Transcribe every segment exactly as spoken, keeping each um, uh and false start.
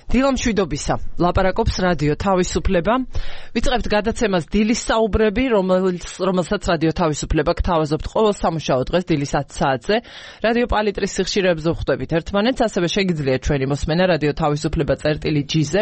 დილამ შვიდობისა, ლაპარაკობს რადიო თავისუფლება. ვიწყებთ გადაცემას დილის საუბრები, რომელსაც რადიო თავისუფლება გთავაზობთ ყოველ სამუშაო დღეს დილის ათი საათზე. რადიო პალიტრის სიხშირეებზე ვხვდებით ერთმანეთს, ასევე შეგიძლიათ ჩვენი მოსმენა რადიო თავისუფლება წერტილი ჯი-ზე.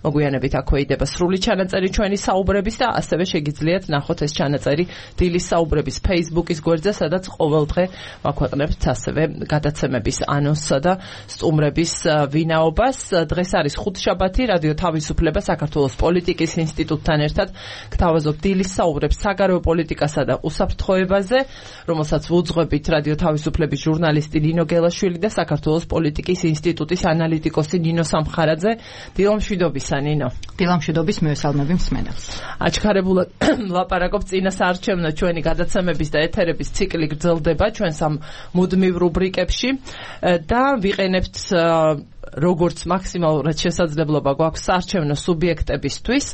მოგვიანებით აქვე იდება სრული ჩანაწერი ჩვენი საუბრების და ასევე შეგიძლიათ ნახოთ ეს ჩანაწერი დილის საუბრების Facebook-ის გვერდზე, სადაც ყოველდღე ვაქვეყნებთ ასევე გადაცემების ანონსსა და სტუმრების ვინაობას. დღეს არის ხუთშაბათი, რადიო თავისუფლება საქართველოს პოლიტიკის ინსტიტუტთან ერთად გთავაზობთ დილის საუბრებს საგარეო პოლიტიკასა და უსაფრთხოებაზე, რომელსაც ვუძღვებით რადიო თავისუფლების ჟურნალისტი ნინო გელაშვილი და საქართველოს პოლიტიკის ინსტიტუტის ანალიტიკოსი ნინო სამხარაძე. დილამ შვიდობისა, ნინო. დილამ შვიდობის, მივესალმები მსმენელს. აჩქარებულად ლაპარაკობ წინა საარჩევნო ჩვენი გადაცემების და ეთერების ციკლი გრძელდება ჩვენს ამ მუდმივ რუბრიკებში და ვიყენებთ როგორც მაქსიმალურად შესაძლებლობა გვაქვს საარჩევნო სუბიექტებისთვის.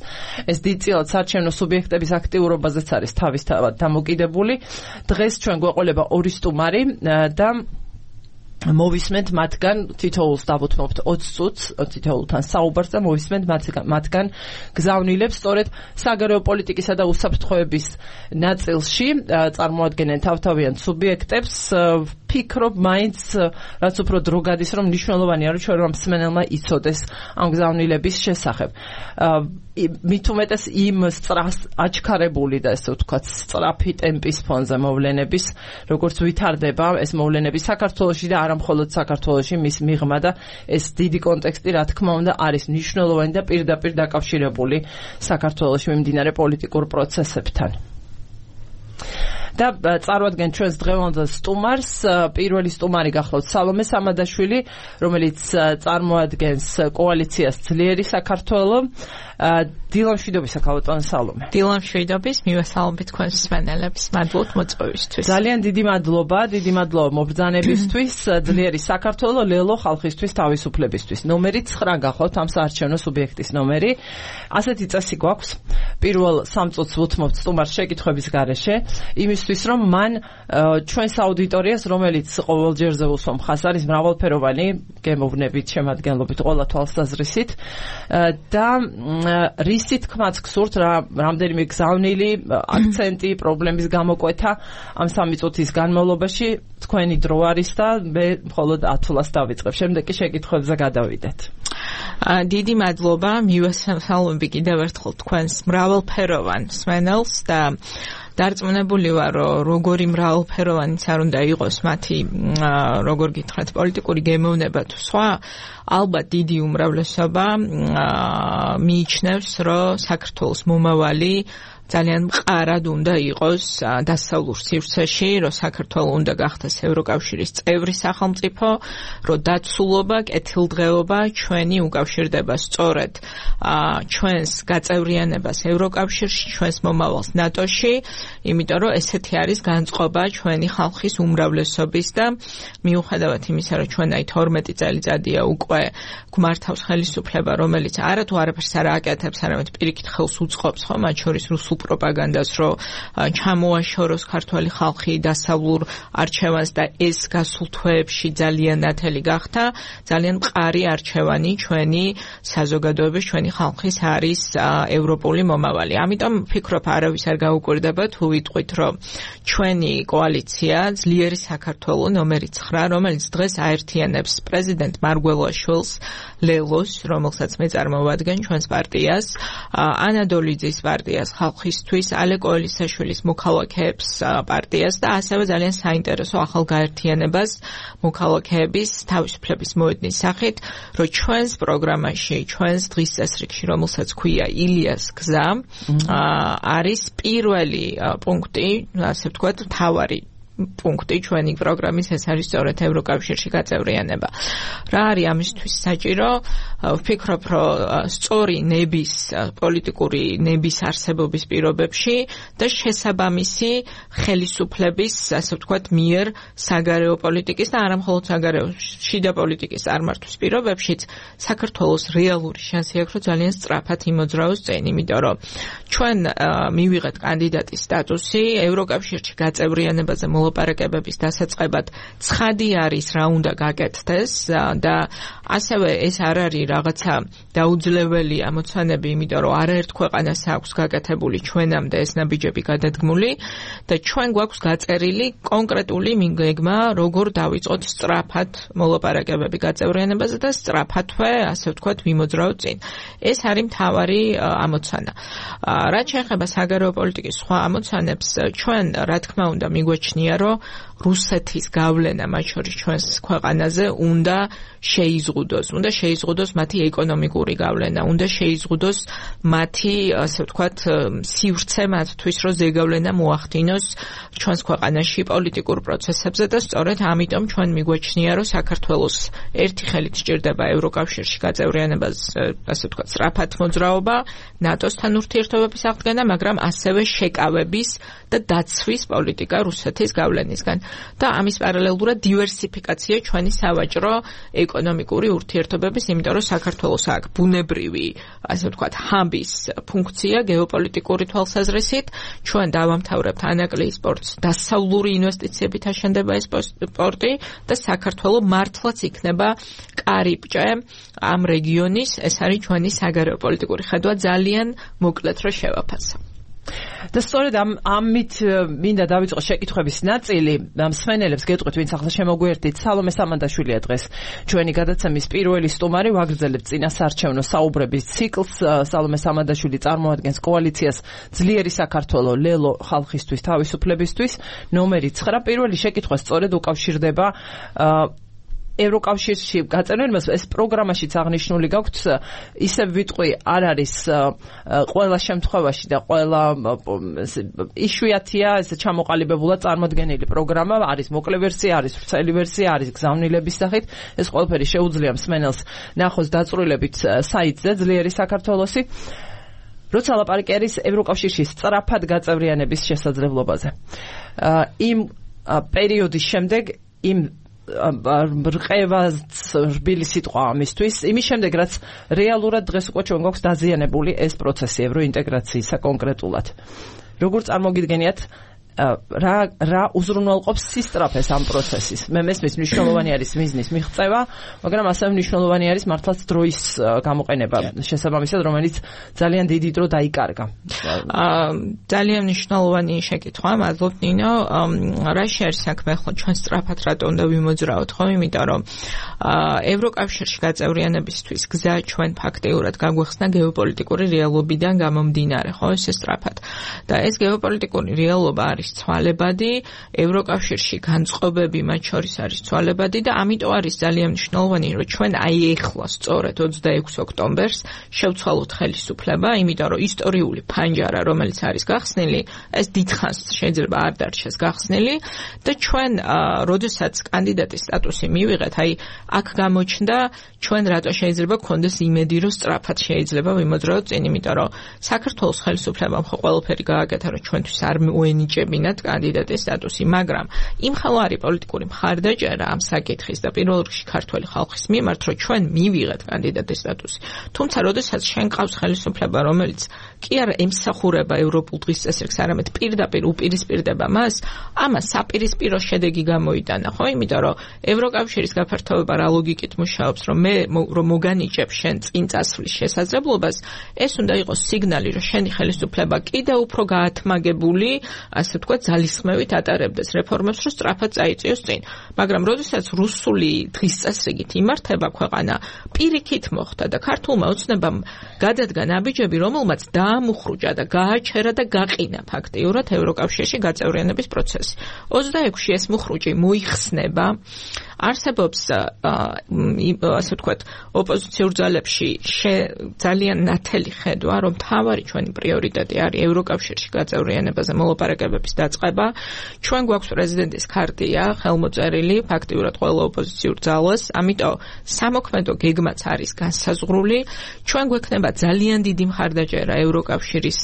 ეს დიდწილად საარჩევნო სუბიექტების აქტიურობაზეც არის თავისთავად დამოკიდებული. დღეს ჩვენ გვეყოლება ორი სტუმარი და მოვისმენთ მათგან თითოეულს დავუთმობთ ოცი წუთს თითოეულთან საუბარს და მოვისმენთ მათგან გზავნილებს სწორედ საგარეო პოლიტიკისა და უსაფრთხოების ნაწილში წარმოადგენენ თავთავიან სუბიექტებს. ფიქრობ მაინც რაც უფრო დრო გადის, რომ მნიშვნელოვანია რომ ჩვენ მსმენელმა იცოდეს ამ გზავნილების შესახებ. მით უმეტეს იმ სწრას აჩქარებული და ესე ვთქვათ სწრაფი ტემპის ფონზე მოვლენების, როგორც ვითარდება ეს მოვლენები საქართველოში და არა მხოლოდ საქართველოში, მის მიღმა და ეს დიდი კონტექსტი რა თქმა უნდა არის მნიშვნელოვანი და პირდაპირ დაკავშირებული საქართველოში მიმდინარე პოლიტიკურ პროცესებთან. და წარვადგენ ჩვენს დღევანდელ სტუმარს. პირველი სტუმარი გახლავთ სალომე სამადაშვილი, რომელიც წარმოადგენს კოალიციას ძლიერი საქართველო. დილამ შვიდობისა, ქალბატონო სალომე. დილამ შვიდობის, მივესალმებით თქვენს მსმენელებს, მადლობთ მოწვევისთვის. ძალიან დიდი მადლობა, დიდი მადლობა მობრძანებისთვის. ძლიერი საქართველო, ლელო ხალხისთვის თავისუფლებისთვის. ნომერი ცხრა გახლავთ ამ საარჩევნო სუბიექტის ნომერი. ასეთი წესი გვაქვს. პირველ სამ წუთს ვუთმობთ სტუმარს შეკითხვების გარეშე, იმისთვის რომ მან ჩვენს აუდიტორიას, რომელიც ყოველ ჯერზე უსვამ ხას არის მრავალფეროვანი გემოვნებით, შემადგენლობით, ყველა თვალსაზრისით და რისი თქმაც გსურთ, რა რამდენიმე გზავნილი აქცენტი, პრობლემის გამოკვეთა ამ სამი წუთის განმავლობაში თქვენი დრო არის და მე მხოლოდ ათვლას დავიწყებ. შემდეგ კი შეკითხვებზე გადავიდეთ. დიდი მადლობა, მივესალმები კიდევ ერთხელ თქვენს მრავალფეროვან მსმენელს და დარწმუნებული ვარ, რომ როგორი მრავალფეროვანიც არ უნდა იყოს მათი, როგორ გითხრათ, პოლიტიკური გემოვნება თუ სხვა, ალბათ დიდი უმრავლესობა მიიჩნევს, რომ საქართველოს მომავალი ძალიან მყარად უნდა იყოს დასავლურ სივრცეში, რომ საქართველო უნდა გახდეს ევროკავშირის წევრი სახელმწიფო, რომ დაცულობა, კეთილდღეობა ჩვენი უკავშირდება სწორედ ჩვენს გაწევრიანებას ევროკავშირში, ჩვენს მომავალს ნატოში, იმიტომ რომ ესეთი არის განწყობა ჩვენი ხალხის უმრავლესობის და მიუხედავად იმისა, რომ ჩვენ აი თორმეტი წელიწადია უკვე გვმართავს ხელისუფლება, რომელიც არა თუ არაფერს არ აკეთებს, არამედ პირიქით ხელს უწყობს, ხო, მათ შორის რუსულ პროპაგანდას, რომ ჩამოაშოროს ქართველი ხალხი დასავლურ არჩევანს და ეს გასულ თვეებში ძალიან ნათელი გახდა. ძალიან მყარი არჩევანი ჩვენი საზოგადოების, ჩვენი ხალხის არის ევროპული მომავალი. ამიტომ ვფიქრობ, არავის არ გაუკვირდება თუ ვიტყვით, რომ ჩვენი კოალიცია ძლიერი საქართველო ნომერი ცხრა, რომელიც დღეს აერთიანებს პრეზიდენტ მარგველაშვილს, ლელოს, რომელსაც მე წარმოვადგენ ჩვენს პარტიას, ანადოლიძის პარტიას, ხალხისთვის, ალეკო ელისაშვილის მოქალაქეებს პარტიას და ასევე ძალიან საინტერესო ახალ გაერთიანებას მოქალაქეების თავისუფლების მოედნის სახით, რომ ჩვენს პროგრამაში, ჩვენს დღის წესრიგში, რომელსაც ქვია ილიას გზა, არის პირველი პუნქტი, ასე ვთქვათ, მთავარი პუნქტი ჩვენი პროგრამის, ეს არის სწორედ ევროკავშირში გაწევრიანება. რა არის ამისთვის საჭირო? ვფიქრობ, რომ სწორი ნების, პოლიტიკური ნების არსებობის პირობებში და შესაბამისი ხელისუფლების, ასე ვთქვათ, მიერ საგარეო პოლიტიკის და არა მხოლოდ საგარეო, შიდა პოლიტიკის წარმართვის პირობებშიც საქართველოს რეალური შანსი აქვს, რომ ძალიან სწრაფად იმოძრავოს წინ, იმიტომ რომ ჩვენ მივიღეთ კანდიდატის სტატუსი ევროკავშირში გაწევრიანებაზე მოლაპარაკებების დასაწყებად ცხადი არის რა უნდა გაკეთდეს და ასევე ეს არ არის რაღაცა დაუძლეველი ამოცანები, იმიტომ რომ არაერთ ქვეყანას აქვს გაკეთებული ჩვენამდე ეს ნაბიჯები გადადგმული და ჩვენ გვაქვს გაწერილი კონკრეტული მიგეგმა, როგორ დავიწყოთ სწრაფად მოლაპარაკებები გაწევრიანებაზე და სწრაფადვე, ასე ვთქვათ, ვიმოძრავოთ წინ. ეს არის მთავარი ამოცანა. რაც შეეხება საგარეო პოლიტიკის სხვა ამოცანებს, ჩვენ რა თქმა უნდა მიგვაჩნია, რომ რუსეთის გავლენა მათ შორის ჩვენს ქვეყანაზე უნდა შეიზღუდოს, უნდა შეიზღუდოს მათი ეკონომიკური გავლენა, უნდა შეიზღუდოს მათი, ასე ვთქვათ, სივრცე მათთვის, რომ ზეგავლენა მოახდინოს ჩვენს ქვეყანაში პოლიტიკურ პროცესებზე და სწორედ ამიტომ ჩვენ მიგვაჩნია, რომ საქართველოს ერთი ხელით სჭირდება ევროკავშირში გაწევრიანებას, ასე ვთქვათ, სწრაფად მოძრაობა, ნატოსთან ურთიერთობების აღდგენა, მაგრამ ასევე შეკავების და დაცვის პოლიტიკა რუსეთის გავლენისგან. და ამის პარალელურად დივერსიფიკაცია ჩვენი სავაჭრო ეკონომიკური ურთიერთობების, იმიტომ რომ საქართველოს აქვს ბუნებრივი, ასე ვთქვათ, ჰაბის ფუნქცია გეოპოლიტიკური თვალსაზრისით, ჩვენ დავამთავრებთ ანაკლიის პორტს, დასავლური ინვესტიციებით აშენდება ეს პორტი და საქართველო მართლაც იქნება კარიბჭე ამ რეგიონის, ეს არის ჩვენი საგარეო პოლიტიკური ხედვა, ძალიან მოკლედ რომ შევაფასო. და სწორედ ამ ამით მინდა დავიწყო შეკითხვების ნაწილი. მსმენელებს გეტყვით, ვინც ახლა შემოგვიერთდით, სალომე სამანდაშვილია დღეს ჩვენი გადაცემის პირველი სტუმარი, ვაგრძელებთ წინასაარჩევნო საუბრების ციკლს. სალომე სამანდაშვილი წარმოადგენს კოალიციას ძლიერი საქართველო ლელო ხალხისთვის თავისუფლებისთვის. ნომერი ცხრა. პირველი შეკითხვა სწორედ უკავშირდება ევროკავშირში გაწევრიანებას. ეს პროგრამაშიც აღნიშნული გაქვთ, ისევ ვიტყვი, არ არის ყველა შემთხვევაში და ყველა იშვიათია ეს ჩამოყალიბებულად წარმოდგენილი პროგრამა, არის მოკლე ვერსია, არის ვრცელი ვერსია, არის გზავნილების სახით. ეს ყველაფერი შეუძლია მსმენელს ნახოს დაწვრილებით საიტზე ძლიერი საქართველოსი. როცა ლაპარაკი არის ევროკავშირში სწრაფად გაწევრიანების შესაძლებლობაზე. იმ პერიოდის შემდეგ იმ რყევას რბილი სიტყვა ამისთვის, იმის შემდეგ, რაც რეალურად დღეს უკვე ჩვენ გვაქვს დაზიანებული ეს პროცესი ევროინტეგრაციისა კონკრეტულად. როგორ წარმოგიდგენიათ, რა რა უზრუნველყოფს სისწრაფეს ამ პროცესის? მე მესმის მნიშვნელოვანი არის მიზნის მიღწევა, მაგრამ ასევე მნიშვნელოვანი არის მართლაც დროის გამოყენება შესაბამისად, რომელიც ძალიან დიდი დრო დაიკარგა. ძალიან მნიშვნელოვანი შეკითხვა, მადლობ ნინო. რა შეერს საქმე ახლა ჩვენ სწრაფად რატო უნდა ვიმოძრავოთ, ხო? იმიტომ რომ ევროკავშირში გაწევრიანებისთვის გზა ჩვენ ფაქტიურად გაგვეხსნა გეოპოლიტიკური რეალობიდან გამომდინარე, ხო? ეს სწრაფად. და ეს გეოპოლიტიკური რეალობა არის ცვალებადი, ევროკავშირში განწყობები მათ შორის არის ცვალებადი და ამიტომ არის ძალიან მნიშვნელოვანი, რომ ჩვენ აი ეხლა სწორედ ოცდაექვსი ოქტომბერს შევცვალოთ ხელისუფლება, იმიტომ რომ ისტორიული ფანჯარა, რომელიც არის გახსნილი, ეს დიდხანს შეიძლება არ დარჩეს გახსნილი და ჩვენ, როდესაც კანდიდატის სტატუსი მივიღეთ, აი აქ გამოჩნდა ჩვენ რატო შეიძლება გქონდეს იმედი, რომ სწრაფად შეიძლება ვიმოძრავოთ წინ, იმიტომ რომ საქართველოს ხელისუფლებამ ხო ყველაფერი გააკეთა, რომ ჩვენთვის არ მოენიჭებინათ კანდიდატის სტატუსი, მაგრამ იმ ხალხ არის პოლიტიკური მხარდაჭერა ამ საკითხის და პირველ რიგში ქართველი ხალხის მიმართ, რომ ჩვენ მივიღეთ კანდიდატის სტატუსი. თუმცა, როდესაც შენ ყავს ხელისუფლება, რომელიც კი არ ემსახურება ევროპულ დღის წესრიგს, არამედ პირდაპირ უპირისპირდება მას, ამას საპირისპირო შედეგი გამოიტანა, ხო? იმიტომ რომ ევროკავშირის გაფართოება რა ლოგიკით მუშაობს, რომ მე რომ მოგანიჭებ შენ წინ წასვლის შესაძლებლობას, ეს უნდა იყოს სიგნალი, რომ შენი ხელისუფლება კიდევ უფრო გაათმაგებული, ასე ვთქვათ, ძალისხმევით ატარებდეს რეფორმებს, რომ სწრაფად წაიწიოს წინ. მაგრამ როდესაც რუსული დღის წესრიგით იმართება ქვეყანა, პირიქით მოხდა და ქართულმა ოცნებამ გადადგა ნაბიჯები, რომელმაც დაამუხრუჭა და გააჩერა და გაყინა ფაქტიურად ევროკავშირში გაწევრიანების პროცესი. ოცდაექვსში ეს მუხრუჭი მოიხსნება, არსებობს ასე ვთქვათ, ოპოზიციურ ძალებში ძალიან ნათელი ხედვა, რომ მთავარი ჩვენი პრიორიტეტი არის ევროკავშირში გაწევრიანებაზე მოლაპარაკებების დაწყება. ჩვენ გვაქვს პრეზიდენტის ქარტია ხელმოწერილი ფაქტიურად ყველა ოპოზიციურ ძალას, ამიტომ სამოქმედო გეგმაც არის განსაზღვრული. ჩვენ გვექნება ძალიან დიდი მხარდაჭერა ევროკავშირის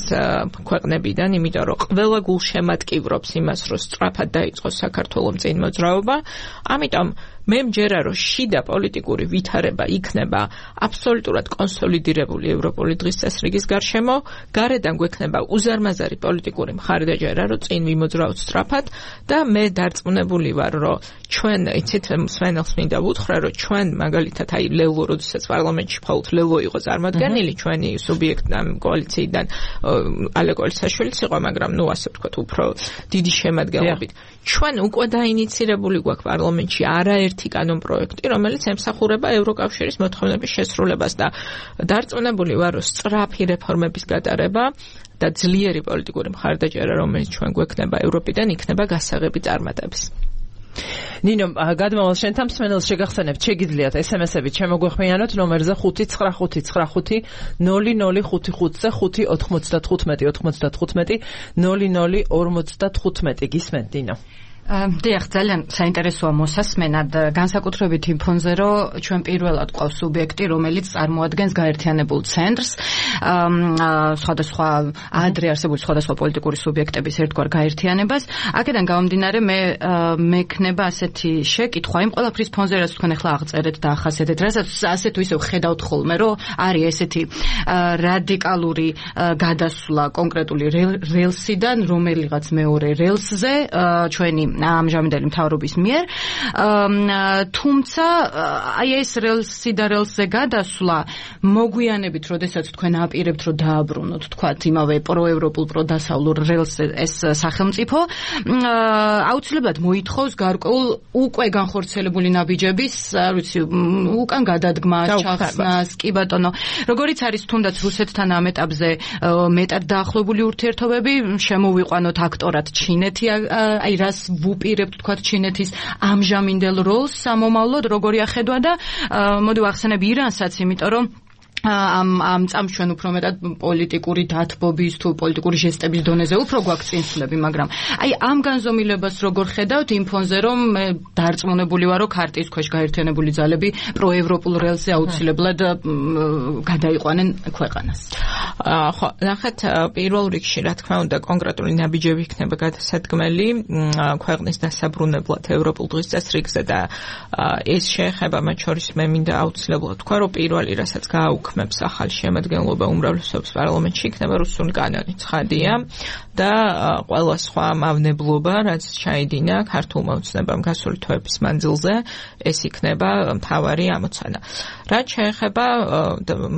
ქვეყნებიდან, იმიტომ რომ ყველა გულშემატკივრობს იმას, რომ სწრაფად დაიწყოს საქართველოს წინ მოძრაობა. ამიტომ მე მჯერა რომ შიდა პოლიტიკური ვითარება იქნება აბსოლუტურად კონსოლიდირებული ევროპული დღის წესრიგის გარშემო, გარედან გვექნება უზარმაზარი პოლიტიკური მხარდაჭერა, რომ წინ ვიმოძრავთ სწრაფად და მე დარწმუნებული ვარ, რომ ჩვენ იცით მსმენელს მინდა ვუთხრა, რომ ჩვენ მაგალითად აი ლელო, როდესაც პარლამენტში მხოლოდ ლელო იყო წარმოადგენილი ჩვენი სუბიექტი ამ კოალიციიდან ალე კოლისაშვილიც იყო, მაგრამ ნუ ასე ვთქვათ, უფრო დიდი შემადგენლობით. ჩვენ უკვე დაინიცირებული გვაქვს პარლამენტში არაერთი კანონპროექტი, რომელიც ემსახურება ევროკავშირის მოთხოვნების შესრულებას და დარწმუნებული ვარ, რომ სწრაფი რეფორმების გატარება და ძლიერი პოლიტიკური მხარდაჭერა, რომელიც ჩვენ გვექნება ევროპიდან, იქნება გასაღები წარმატების. ნინო, გადმოვალ შენთან მსმენელს შეგახსენებთ, შეგიძლიათ ესემესებით შემოგვეხმიანოთ ნომერზე ხუთი ცხრა ხუთი ცხრა ხუთი ნული ნული ხუთი ხუთზე ხუთი ოთხმოცდათხუთმეტი ოთხმოცდათხუთმეტი ნული ნული ორმოცდათხუთმეტი გისმენთ ნინო. დიახ, ძალიან საინტერესოა მოსასმენად, განსაკუთრებით იმ ფონზე, რომ ჩვენ პირველად ყავს სუბიექტი, რომელიც წარმოადგენს გაერთიანებულ ცენტრს, სხვადასხვა ადრე არსებული სხვადასხვა პოლიტიკური სუბიექტების ერთგვარ გაერთიანებას. აქედან გამომდინარე, მე მექნება ასეთი შეკითხვა იმ ყველაფრის ფონზე, რაც თქვენ ახლა აღწერეთ და ახასიათეთ, რასაც ასე თუ ისე ხედავთ ხოლმე, რომ არის ესეთი რადიკალური გადასვლა კონკრეტული რელსიდან რომელიღაც მეორე რელსზე ჩვენი ამჟამინდელი მთავრობის მიერ, თუმცა აი ეს რელსი და რელსზე გადასვლა მოგვიანებით, როდესაც თქვენ აპირებთ, რომ დააბრუნოთ, თქვათ, იმავე პროევროპულ, პროდასავლურ რელსზე ეს სახელმწიფო, აუცილებლად მოითხოვს გარკვეულ უკვე განხორციელებული ნაბიჯების, არ ვიცი, უკან გადადგმას, ჩახსნას, კი ბატონო, როგორიც არის თუნდაც რუსეთთან ამ ეტაპზე მეტად დაახლოებული ურთიერთობები, შემოვიყვანოთ აქტორად ჩინეთი, აი რას ვუპირებთ თქვათ ჩინეთის ამჟამინდელ როლს სამომავლოდ როგორი ახედვა და მოდი ვახსენებ ირანსაც, იმიტომ რომ ამ ამ წამს ჩვენ უფრო მეტად პოლიტიკური დათბობის თუ პოლიტიკური ჟესტების დონეზე უფრო გვაქვს წინსვლები, მაგრამ აი ამ განზომილებას როგორ ხედავთ იმ ფონზე, რომ მე დარწმუნებული ვარ, რომ ქარტიის ქვეშ გაერთიანებული ძალები პროევროპულ რელსზე აუცილებლად გადაიყვანენ ქვეყანას. ხო, ნახეთ, პირველ რიგში, რა თქმა უნდა, კონკრეტული ნაბიჯები იქნება გადასადგმელი ქვეყნის დასაბრუნებლად ევროპულ დღის წესრიგზე და ეს შეეხება მათ შორის მე მინდა აუცილებლად თქვა, რომ პირველი რასაც გააუქმებს ახალი შემადგენლობა უმრავლესობის პარლამენტში იქნება რუსული კანონი, ცხადია და ყველა სხვა მავნებლობა, რაც ჩაიდინა ქართულმა ოცნებამ გასული თვეების მანძილზე, ეს იქნება მთავარი ამოცანა. რაც შეეხება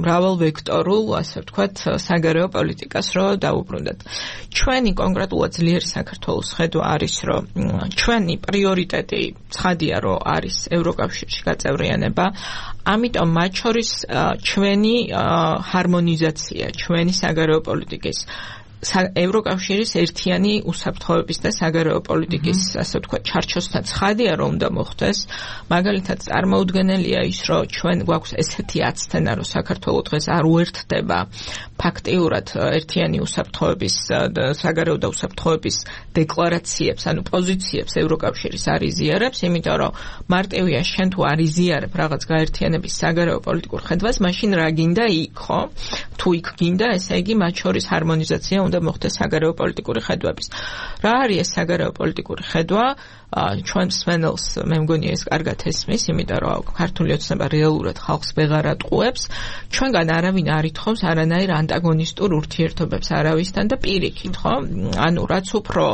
მრავალ ვექტორულ, ასე ვთქვათ, საგარეო პოლიტიკას, რომ დაუბრუნდეთ. ჩვენი კონკრეტულად ძლიერი საქართველოს ხედვა არის, რომ ჩვენი პრიორიტეტი ცხადია, რომ არის ევროკავშირში გაწევრიანება, ამიტომ მათ შორის ჩვენი ჰარმონიზაცია, ჩვენი საგარეო პოლიტიკის ევროკავშირის ერთიანი უსაფრთხოების და საგარეო პოლიტიკის, ასე ვთქვათ, ჩარჩოსთან ცხადია, რომ უნდა მოხდეს. მაგალითად, წარმოუდგენელია ის, რომ ჩვენ გვაქვს ესეთი აცდენა, რომ საქართველოს დღეს არ უერთდება ფაქტიურად ერთიანი უსაფრთხოების და საგარეო და უსაფრთხოების დეკლარაციებს, ანუ პოზიციებს ევროკავშირის არ იზიარებს, იმიტომ რომ მარტივია შენ თუ არ იზიარებ რაღაც გაერთიანების საგარეო პოლიტიკურ ხედვას, მაშინ რა გინდა იქ, ხო? თუ იქ გინდა, ესე იგი მათ შორის ჰარმონიზაცია უნდა მოხდეს საგარეო პოლიტიკური ხედვების. რა არის ეს საგარეო პოლიტიკური ხედვა? ჩვენ მსმენელს მე მგონია ეს კარგად ესმის, იმიტომ რომ ქართული ოცნება რეალურად ხალხს ვეღარ ატყუებს. ჩვენგან არავინ არ ითხოვს არანაირ ანტაგონისტურ ურთიერთობებს არავისთან და პირიქით, ხო? ანუ რაც უფრო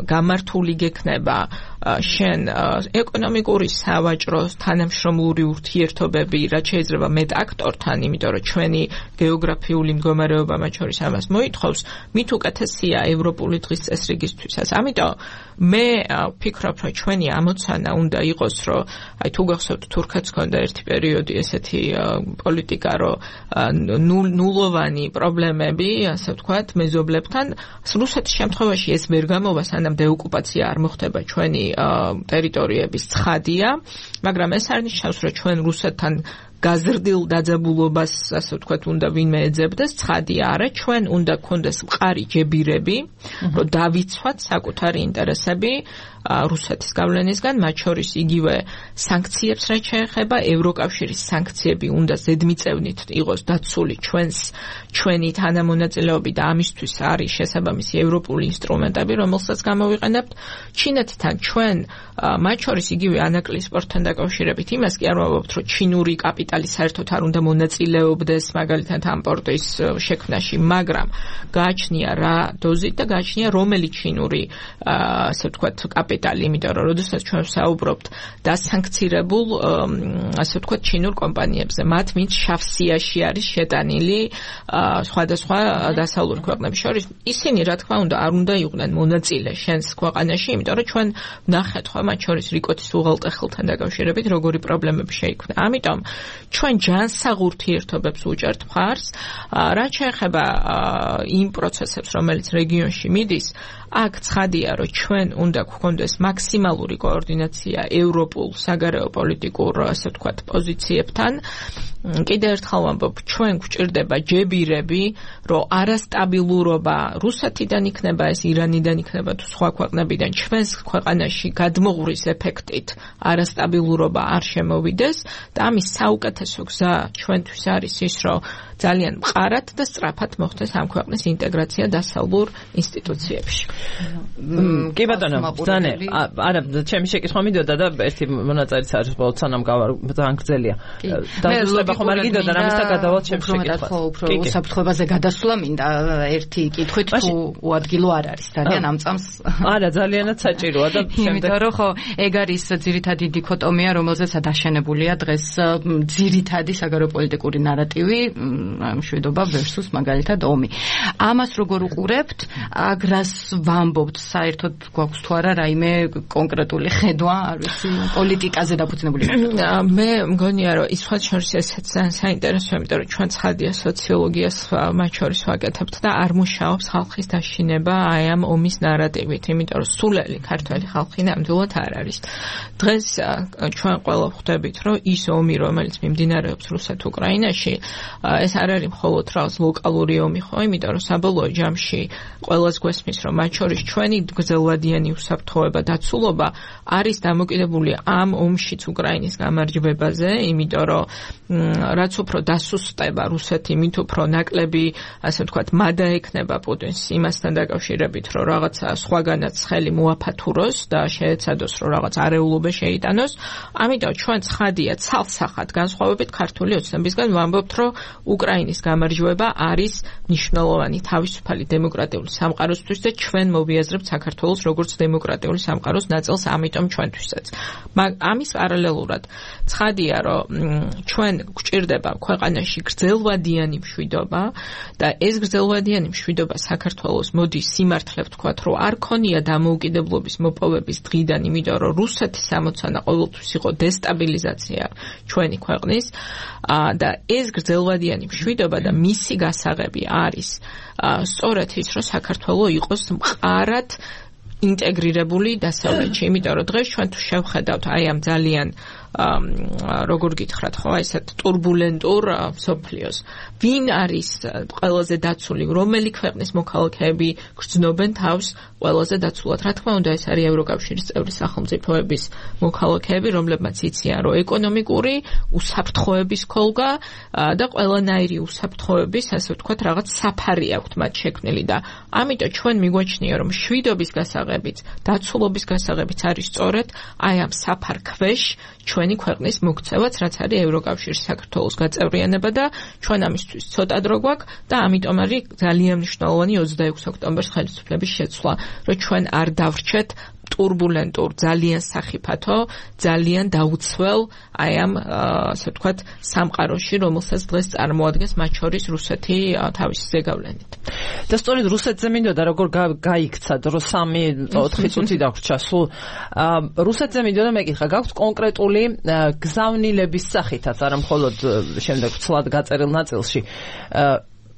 გამართული გექნება შენ ეკონომიკური, სავაჭრო, თანამშრომლური ურთიერთობები, რაც შეიძლება მეტ აქტორთან, იმიტომ რომ ჩვენი გეოგრაფიული მდგომარეობა მათ შორის ამას მოითხოვს, მით უკეთესია ევროპული დღის წესრიგისთვისაც. ამიტომ მე ვფიქრობ, რომ ჩვენი ამოცანა უნდა იყოს, რომ აი თუ გახსოვთ, თურქეთს ჰქონდა ერთი პერიოდი ესეთი პოლიტიკა, რომ ნულოვანი პრობლემები, ასე ვთქვათ, მეზობლებთან. რუსეთის შემთხვევაში ეს ვერ გამოვა, სანამ დეოკუპაცია არ მოხდება ჩვენი ტერიტორიების, ცხადია, მაგრამ ეს არ ნიშნავს, რომ ჩვენ რუსეთთან გაზრდილ დაძაბულობას, ასე ვთქვათ, უნდა ვინმე ეძებდეს, ცხადია არა, ჩვენ უნდა გქონდეს მყარი ჯებირები, რომ დავიცვათ საკუთარი ინტერესები რუსეთის გავლენისგან, მათ შორის იგივე სანქციებს რაც შეეხება, ევროკავშირის სანქციები უნდა ზედმიწევნით იყოს დაცული ჩვენს ჩვენი თანამონაწილეობით და ამისთვის არის შესაბამისი ევროპული ინსტრუმენტები, რომელსაც გამოვიყენებთ. ჩინეთთან ჩვენ მათ შორის იგივე ანაკლიის სპორტთან დაკავშირებით იმას კი არ ვამბობთ, რომ ჩინური კაპიტალი საერთოდ არ უნდა მონაწილეობდეს მაგალითად ამ პორტის შექმნაში, მაგრამ გააჩნია რა დოზით და გააჩნია რომელი ჩინური ასე ვთქვათ კაპიტალი, იმიტომ რომ როდესაც ჩვენ ვსაუბრობთ დასანქცირებულ ასე ვთქვათ ჩინურ კომპანიებზე, მათ ვინც შავსიაში არის შეტანილი სხვადასხვა დასავლურ ქვეყნებს შორის, ისინი რა თქმა უნდა არ უნდა იყვნენ მონაწილე შენს ქვეყანაში, იმიტომ რომ ჩვენ ვნახეთ ხო მათ შორის რიკოთის უღელტეხილთან დაკავშირებით როგორი პრობლემები შეიქმნა. ამიტომ ჩვენ ჯანსაღ ურთიერთობებს უჭერთ მხარს, რაც შეეხება იმ პროცესებს, რომელიც რეგიონში მიდის, აქ ცხადია, რომ ჩვენ უნდა გვქონდეს მაქსიმალური კოორდინაცია ევროპულ საგარეო პოლიტიკურ, ასე ვთქვათ, პოზიციებთან. კიდევ ერთხელ ვამბობ, ჩვენ გვჭირდება ჯებირები, რომ არასტაბილურობა რუსეთიდან იქნება, ეს ირანიდან იქნება თუ სხვა ქვეყნებიდან ჩვენს ქვეყანაში გადმოღურის ეფექტით არასტაბილურობა არ შემოვიდეს და ამის საუკეთესო გზა ჩვენთვის არის ის, რომ ძალიან მყარად და სწრაფად მოხდეს ამ ქვეყნის ინტეგრაცია დასავლურ ინსტიტუციებში. კი ბატონო, ბრძანე, არა, ჩემი შეკითხვა მიდოდა და ერთი მონაწილეც არის ბოლოს სანამ გავარ ძალიან გრძელია. დავუსწრება ხომ არ გიდოდა რამისთან გადავალთ ჩემს შეკითხვას. ხო, უფრო უსაფრთხოებაზე გადასვლა მინდა ერთი კითხვით თუ უადგილო არ არის ძალიან ამ წამს. არა, ძალიანაც საჭიროა და იმიტომ რომ ხო, ეგ არის ძირითადი დიქოტომია, რომელზეც დაშენებულია დღეს ძირითადი საგარეოპოლიტიკური ნარატივი, მშვიდობა versus მაგალითად ომი. ამას როგორ უყურებთ? აგრას ვამბობთ, საერთოდ გვაქვს თუ არა რაიმე კონკრეტული ხედვა, არ ვიცი, პოლიტიკაზე დაფუძნებული. მე მგონია, რომ ის სხვა შორის ესეც ძალიან საინტერესოა, იმიტომ რომ ჩვენ ცხადია სოციოლოგიას მათ შორის ვაკეთებთ და არ მუშაობს ხალხის დაშინება აი ამ ომის ნარატივით, იმიტომ რომ სულელი ქართველი ხალხი ნამდვილად არ არის. დღეს ჩვენ ყველა ხვდებით, რომ ის ომი, რომელიც მიმდინარეობს რუსეთ-უკრაინაში, ეს არ არის მხოლოდ რაღაც ლოკალური ომი ხო, იმიტომ რომ საბოლოო ჯამში ყველას გვესმის, რომ მათ შორის ჩვენი გრძელვადიანი უსაფრთხოება, დაცულობა არის დამოკიდებული ამ ომშიც უკრაინის გამარჯვებაზე, იმიტომ რომ რაც უფრო დასუსტება რუსეთი, მით უფრო ნაკლები, ასე ვთქვათ, მადა ექნება პუტინს იმასთან დაკავშირებით, რომ რაღაცა სხვაგანაც ხელი მოაფათუროს და შეეცადოს, რომ რაღაც არეულობა შეიტანოს. ამიტომ ჩვენ ცხადია ცალსახად განსხვავებით ქართული ოცნებისგან ვამბობთ, რომ უკრაინის გამარჯვება არის მნიშვნელოვანი თავისუფალი დემოკრატიული სამყაროსთვის და ჩვენ მოვიაზრებთ საქართველოს როგორც დემოკრატიული სამყაროს ნაწილს, ამიტომ ჩვენთვისაც. ამის პარალელურად ცხადია, რომ ჩვენ გვჭირდება ქვეყანაში გრძელვადიანი მშვიდობა და ეს გრძელვადიანი მშვიდობა საქართველოს მოდის სიმართლე ვთქვათ, რომ არ ქონია დამოუკიდებლობის მოპოვების დღიდან, იმიტომ რომ რუსეთის ამოცანა ყოველთვის იყო დესტაბილიზაცია ჩვენი ქვეყნის და ეს გრძელვადიანი მშვიდობა და მისი გასაღები არის სწორედ ის, რომ საქართველო იყოს მყარად ინტეგრირებული დასავლეთში, იმიტომ რომ დღეს ჩვენ თუ შევხედავთ აი ამ ძალიან როგორ გითხრათ ხო, ესეთ турბულენტურ სოფლიოს. ვინ არის ყველაზე დაცული, რომელი ქვეყნის მოქალაქეები გრძნობენ თავს ყველაზე დაცულად? რა თქმა უნდა, ეს არის ევროკავშირის წევრი სახელმწიფოების მოქალაქეები, რომლებმაც იციან, რომ ეკონომიკური უსაფრთხოების ქოლგა და ყველანაირი უსაფრთხოების, ასე ვთქვათ, რაღაც საფარი აქვთ მათ შექმნილი და ამიტომ ჩვენ მიგვაჩნია, რომ მშვიდობის გასაღებიც, დაცულობის გასაღებიც არის სწორედ აი ამ საფარ ქვეშ ჩვენი ქვეყნის მოქცევაც, რაც არის ევროკავშირის საქართველოს გაწევრიანება და ჩვენ ამისთვის ცოტა დრო გვაქვს და ამიტომ არის ძალიან მნიშვნელოვანი ოცდაექვსი ოქტომბრის ხელისუფლების შეცვლა, რომ ჩვენ არ დავრჩეთ турბულენტურ, ძალიან სახიფათო, ძალიან დაუცველ აი ამ ასე ვთქვათ სამყაროში, რომელსაც დღეს წარმოადგენს მათ შორის რუსეთი თავისი ზეგავლენით. და სწორედ რუსეთზე მინდოდა როგორ გაიქცა დრო სამი ოთხი წუთი დაგვრჩა სულ. რუსეთზე მინდოდა მეკითხა, გაქვთ კონკრეტული გზავნილების სახითაც, არა მხოლოდ შემდეგ ცლად გაწერილ ნაწილში.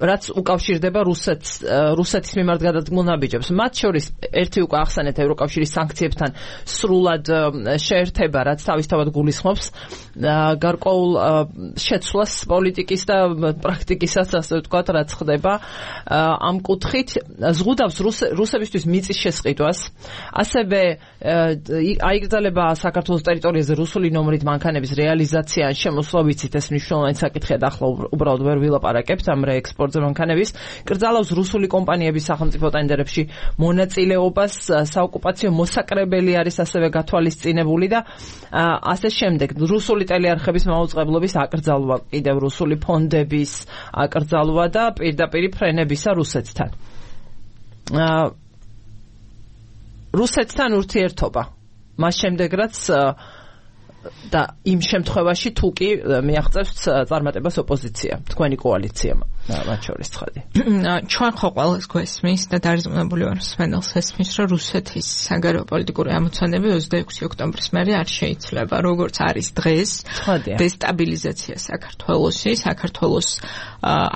რაც უკავშირდება რუსეთს რუსეთის მიმართ გადადგმულ ნაბიჯებს. მათ შორის ერთი უკვე ახსენეთ ევროკავშირის სანქციებთან სრულად შეერთება, რაც თავისთავად გულისხმობს გარკვეულ შეცვლას პოლიტიკის და პრაქტიკისაც, ასე ვთქვათ, რაც ხდება ამ კუთხით. ზღუდავს რუსებისთვის მიწის შესყიდვას, ასევე აიგრძელება საქართველოს ტერიტორიაზე რუსული ნომრით მანქანების რეალიზაცია ან შემოსვლა, ვიცით ეს მნიშვნელოვანი საკითხია და ახლა უბრალოდ ვერ ვილაპარაკებთ ამ რეექსპორტზე მანქანების. კრძალავს რუსული კომპანიების სახელმწიფო ტენდერებში მონაწილეობას, საოკუპაციო მოსაკრებელი არის ასევე გათვალისწინებული და ასე შემდეგ. რუსული ტელეარხების მაუწყებლობის აკრძალვა, კიდევ რუსული ფონდების აკრძალვა და პირდაპირ ფრენებისა რუსეთთან. რუსეთთან ურთიერთობა. მას შემდეგ რაც და იმ შემთხვევაში თუ კი მიაღწევს წარმატებას ოპოზიცია, თქვენი კოალიცია მათ შორის ცხადი. ჩვენ ხო ყველას გვესმის და დარწმუნებული ვარ სვენელს ესმის, რომ რუსეთის საგარეო პოლიტიკური ამოცანები ოცდაექვსი ოქტომბრის მერე არ შეიძლება, როგორც არის დღეს, დესტაბილიზაცია საქართველოსი, საქართველოს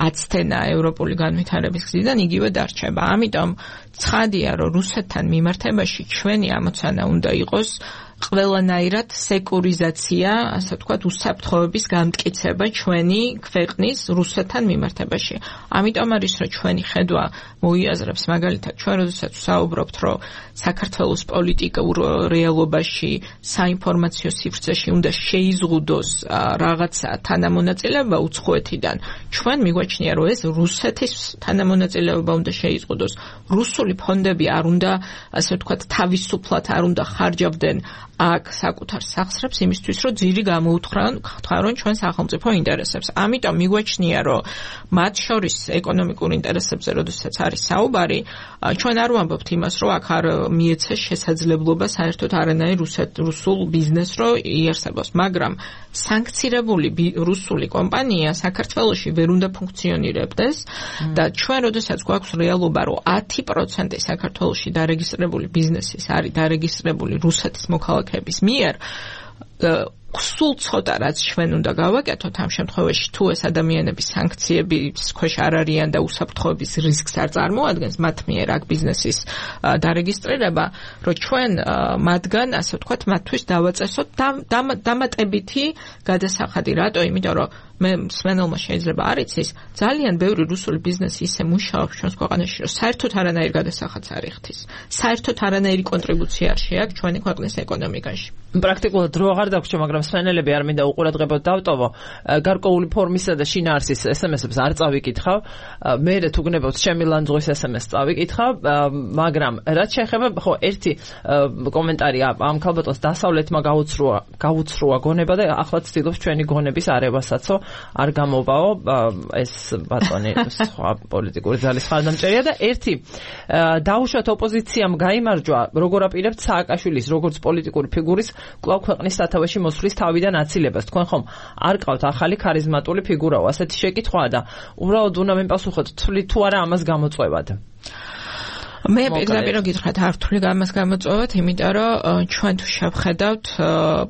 აცდენა ევროპული განვითარების გზიდან იგივე დარჩება. ამიტომ ცხადია, რომ რუსეთთან მიმართებაში ჩვენი ამოცანა უნდა იყოს ყველანაირად სეკურიზაცია, ასე ვთქვათ, უსაფრთხოების გამტკიცება ჩვენი ქვეყნის რუსეთთან მიმართებაში. ამიტომ არის, რომ ჩვენი ხედვა მოიაზრებს მაგალითად ჩვენ როდესაც ვსაუბრობთ, რომ საქართველოს პოლიტიკურ რეალობაში საინფორმაციო სივრცეში უნდა შეიზღუდოს რაღაცა თანამონაწილეობა უცხოეთიდან. ჩვენ მიგვაჩნია, რომ ეს რუსეთის თანამონაწილეობა უნდა შეიზღუდოს. რუსული ფონდები არ უნდა, ასე ვთქვათ, თავისუფლად არ უნდა ხარჯავდნენ აქ საკუთარ სახსრებს იმისთვის, რომ ძირი გამოუთხრან ჩვენ სახელმწიფო ინტერესებს. ამიტომ მიგვაჩნია, რომ მათ შორის ეკონომიკურ ინტერესებზე, როდესაც არის საუბარი, ჩვენ არ ვამბობთ იმას, რომ აქ არ მიეცეს შესაძლებლობა საერთოდ არანაირ რუსულ ბიზნესს რო იარსებოს, მაგრამ სანქცირებული რუსული კომპანია საქართველოში ვერ უნდა ფუნქციონირებდეს და ჩვენ როდესაც გვაქვს რეალობა, რომ ათი პროცენტი საქართველოში დარეგისტრირებული ბიზნესის არის დარეგისტრირებული რუსეთის მოქალაქეების მიერ, სულ ცოტა რაც ჩვენ უნდა გავაკეთოთ ამ შემთხვევაში, თუ ეს ადამიანები სანქციების ქვეშ არ არიან და უსაფრთხოების რისკს არ წარმოადგენს მათ მიერ აქ ბიზნესის დარეგისტრირება, რომ ჩვენ მათგან, ასე ვთქვათ, მათთვის დავაწესოთ დამატებითი გადასახადი. რატო? იმიტომ რომ მე სვენელმა შეიძლება არ იცის, ძალიან ბევრი რუსული ბიზნესი ისე მუშაობს ჩვენს ქვეყანაში, რომ საერთოდ არანაირ გადასახადს არ იხდის. საერთოდ არანაირი კონტრიბუცია არ შეაქვს ჩვენი ქვეყნის ეკონომიკაში. პრაქტიკულად დრო აღარ დაგვრჩა, მაგრამ სვენელები არ მინდა უყურადღებოდ დავტოვო. გარკვეული ფორმისა და შინაარსის ესემესებს არ წავიკითხავ. მე თუ გნებავთ ჩემი ლანძღვის ესემესს წავიკითხავ, მაგრამ რაც შეეხება, ხო, ერთი კომენტარი ამ ქალბატონს დასავლეთმა გაუცრუა, გაუცრუა გონება და ახლა ცდილობს ჩვენი გონების არევასაც. არ გამოვაო ეს ბატონი სხვა პოლიტიკური ძალის ხარდამჭერია და ერთი დაუშვათ ოპოზიციამ გაიმარჯვა, როგორ აპირებთ სააკაშვილის როგორც პოლიტიკური ფიგურის კვლავ ქვეყნის სათავეში მოსვლის თავიდან აცილებას. თქვენ ხომ არ ყავთ ახალი ქარიზმატული ფიგურაო, ასეთი შეკითხვაა და უბრალოდ უნდა მიპასუხოთ, თვლით თუ არა ამას გამოწვევად. მე პირდაპირ გითხრათ არ ვთვლი ამას გამოწვევად, იმიტომ რომ ჩვენ თუ შევხედავთ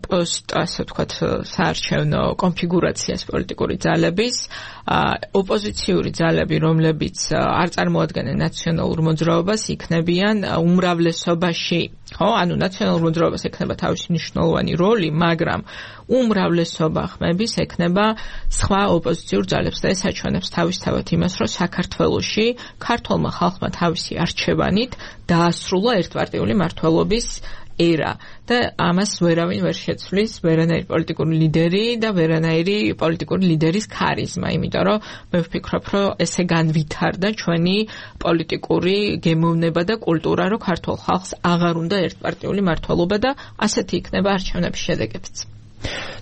პოსტ, ასე ვთქვათ, საარჩევნო კონფიგურაციას პოლიტიკური ძალების, ოპოზიციური ძალები, რომლებიც არ წარმოადგენენ ნაციონალურ მოძრაობას, იქნებიან უმრავლესობაში. ხო, ანუ ნაციონალურ მოძრაობას ექნება თავისი მნიშვნელოვანი როლი, მაგრამ უმრავლესობა ხმების ექნება სხვა ოპოზიციურ ძალებს და ეს აჩვენებს თავისთავად იმას, რომ საქართველოში ქართულმა ხალხმა თავისი არჩევანით დაასრულა ერთპარტიული მმართველობის ერა და ამას ვერავინ ვერ შეცვლის, ვერანაირი პოლიტიკური ლიდერი და ვერანაირი პოლიტიკური ლიდერის ქარიზმა, იმიტომ რომ მე ვფიქრობ, რომ ესე განვითარდა ჩვენი პოლიტიკური გემოვნება და კულტურა, რომ ქართულ ხალხს აღარ უნდა ერთპარტიული მმართველობა და ასეთი იქნება არჩევნების შედეგებიც.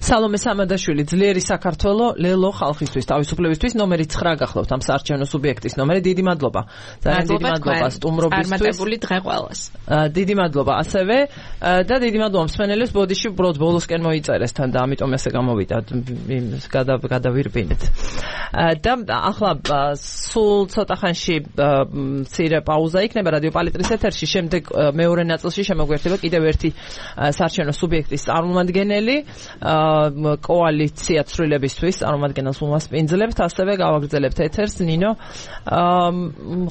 სალომე სამადაშვილი, ძლიერი საქართველო, ლელო ხალხისთვის, თავისუფლებისთვის, ნომერი ცხრა გახლავთ ამ საარჩევნო სუბიექტის ნომერი. დიდი მადლობა. ძალიან დიდი მადლობა სტუმრობისთვის. წარმატებული დღე ყველას. დიდი მადლობა ასევე და დიდი მადლობა მსმენელებს, ბოდიში უბრალოდ ბოლოსკენ მოიწერეს თან და ამიტომ ესე გამოვიდა გადავირბინეთ. და ახლა სულ ცოტა ხანში მცირე პაუზა იქნება რადიო პალიტრის ეთერში, შემდეგ მეორე ნაწილში შემოგვერთება კიდევ ერთი საარჩევნო სუბიექტის წარმომადგენელი. კოალიცია ცვლილებისთვის წარმომადგენელს უმასპინძლებთ, ასევე გავაგრძელებთ ეთერს. ნინო,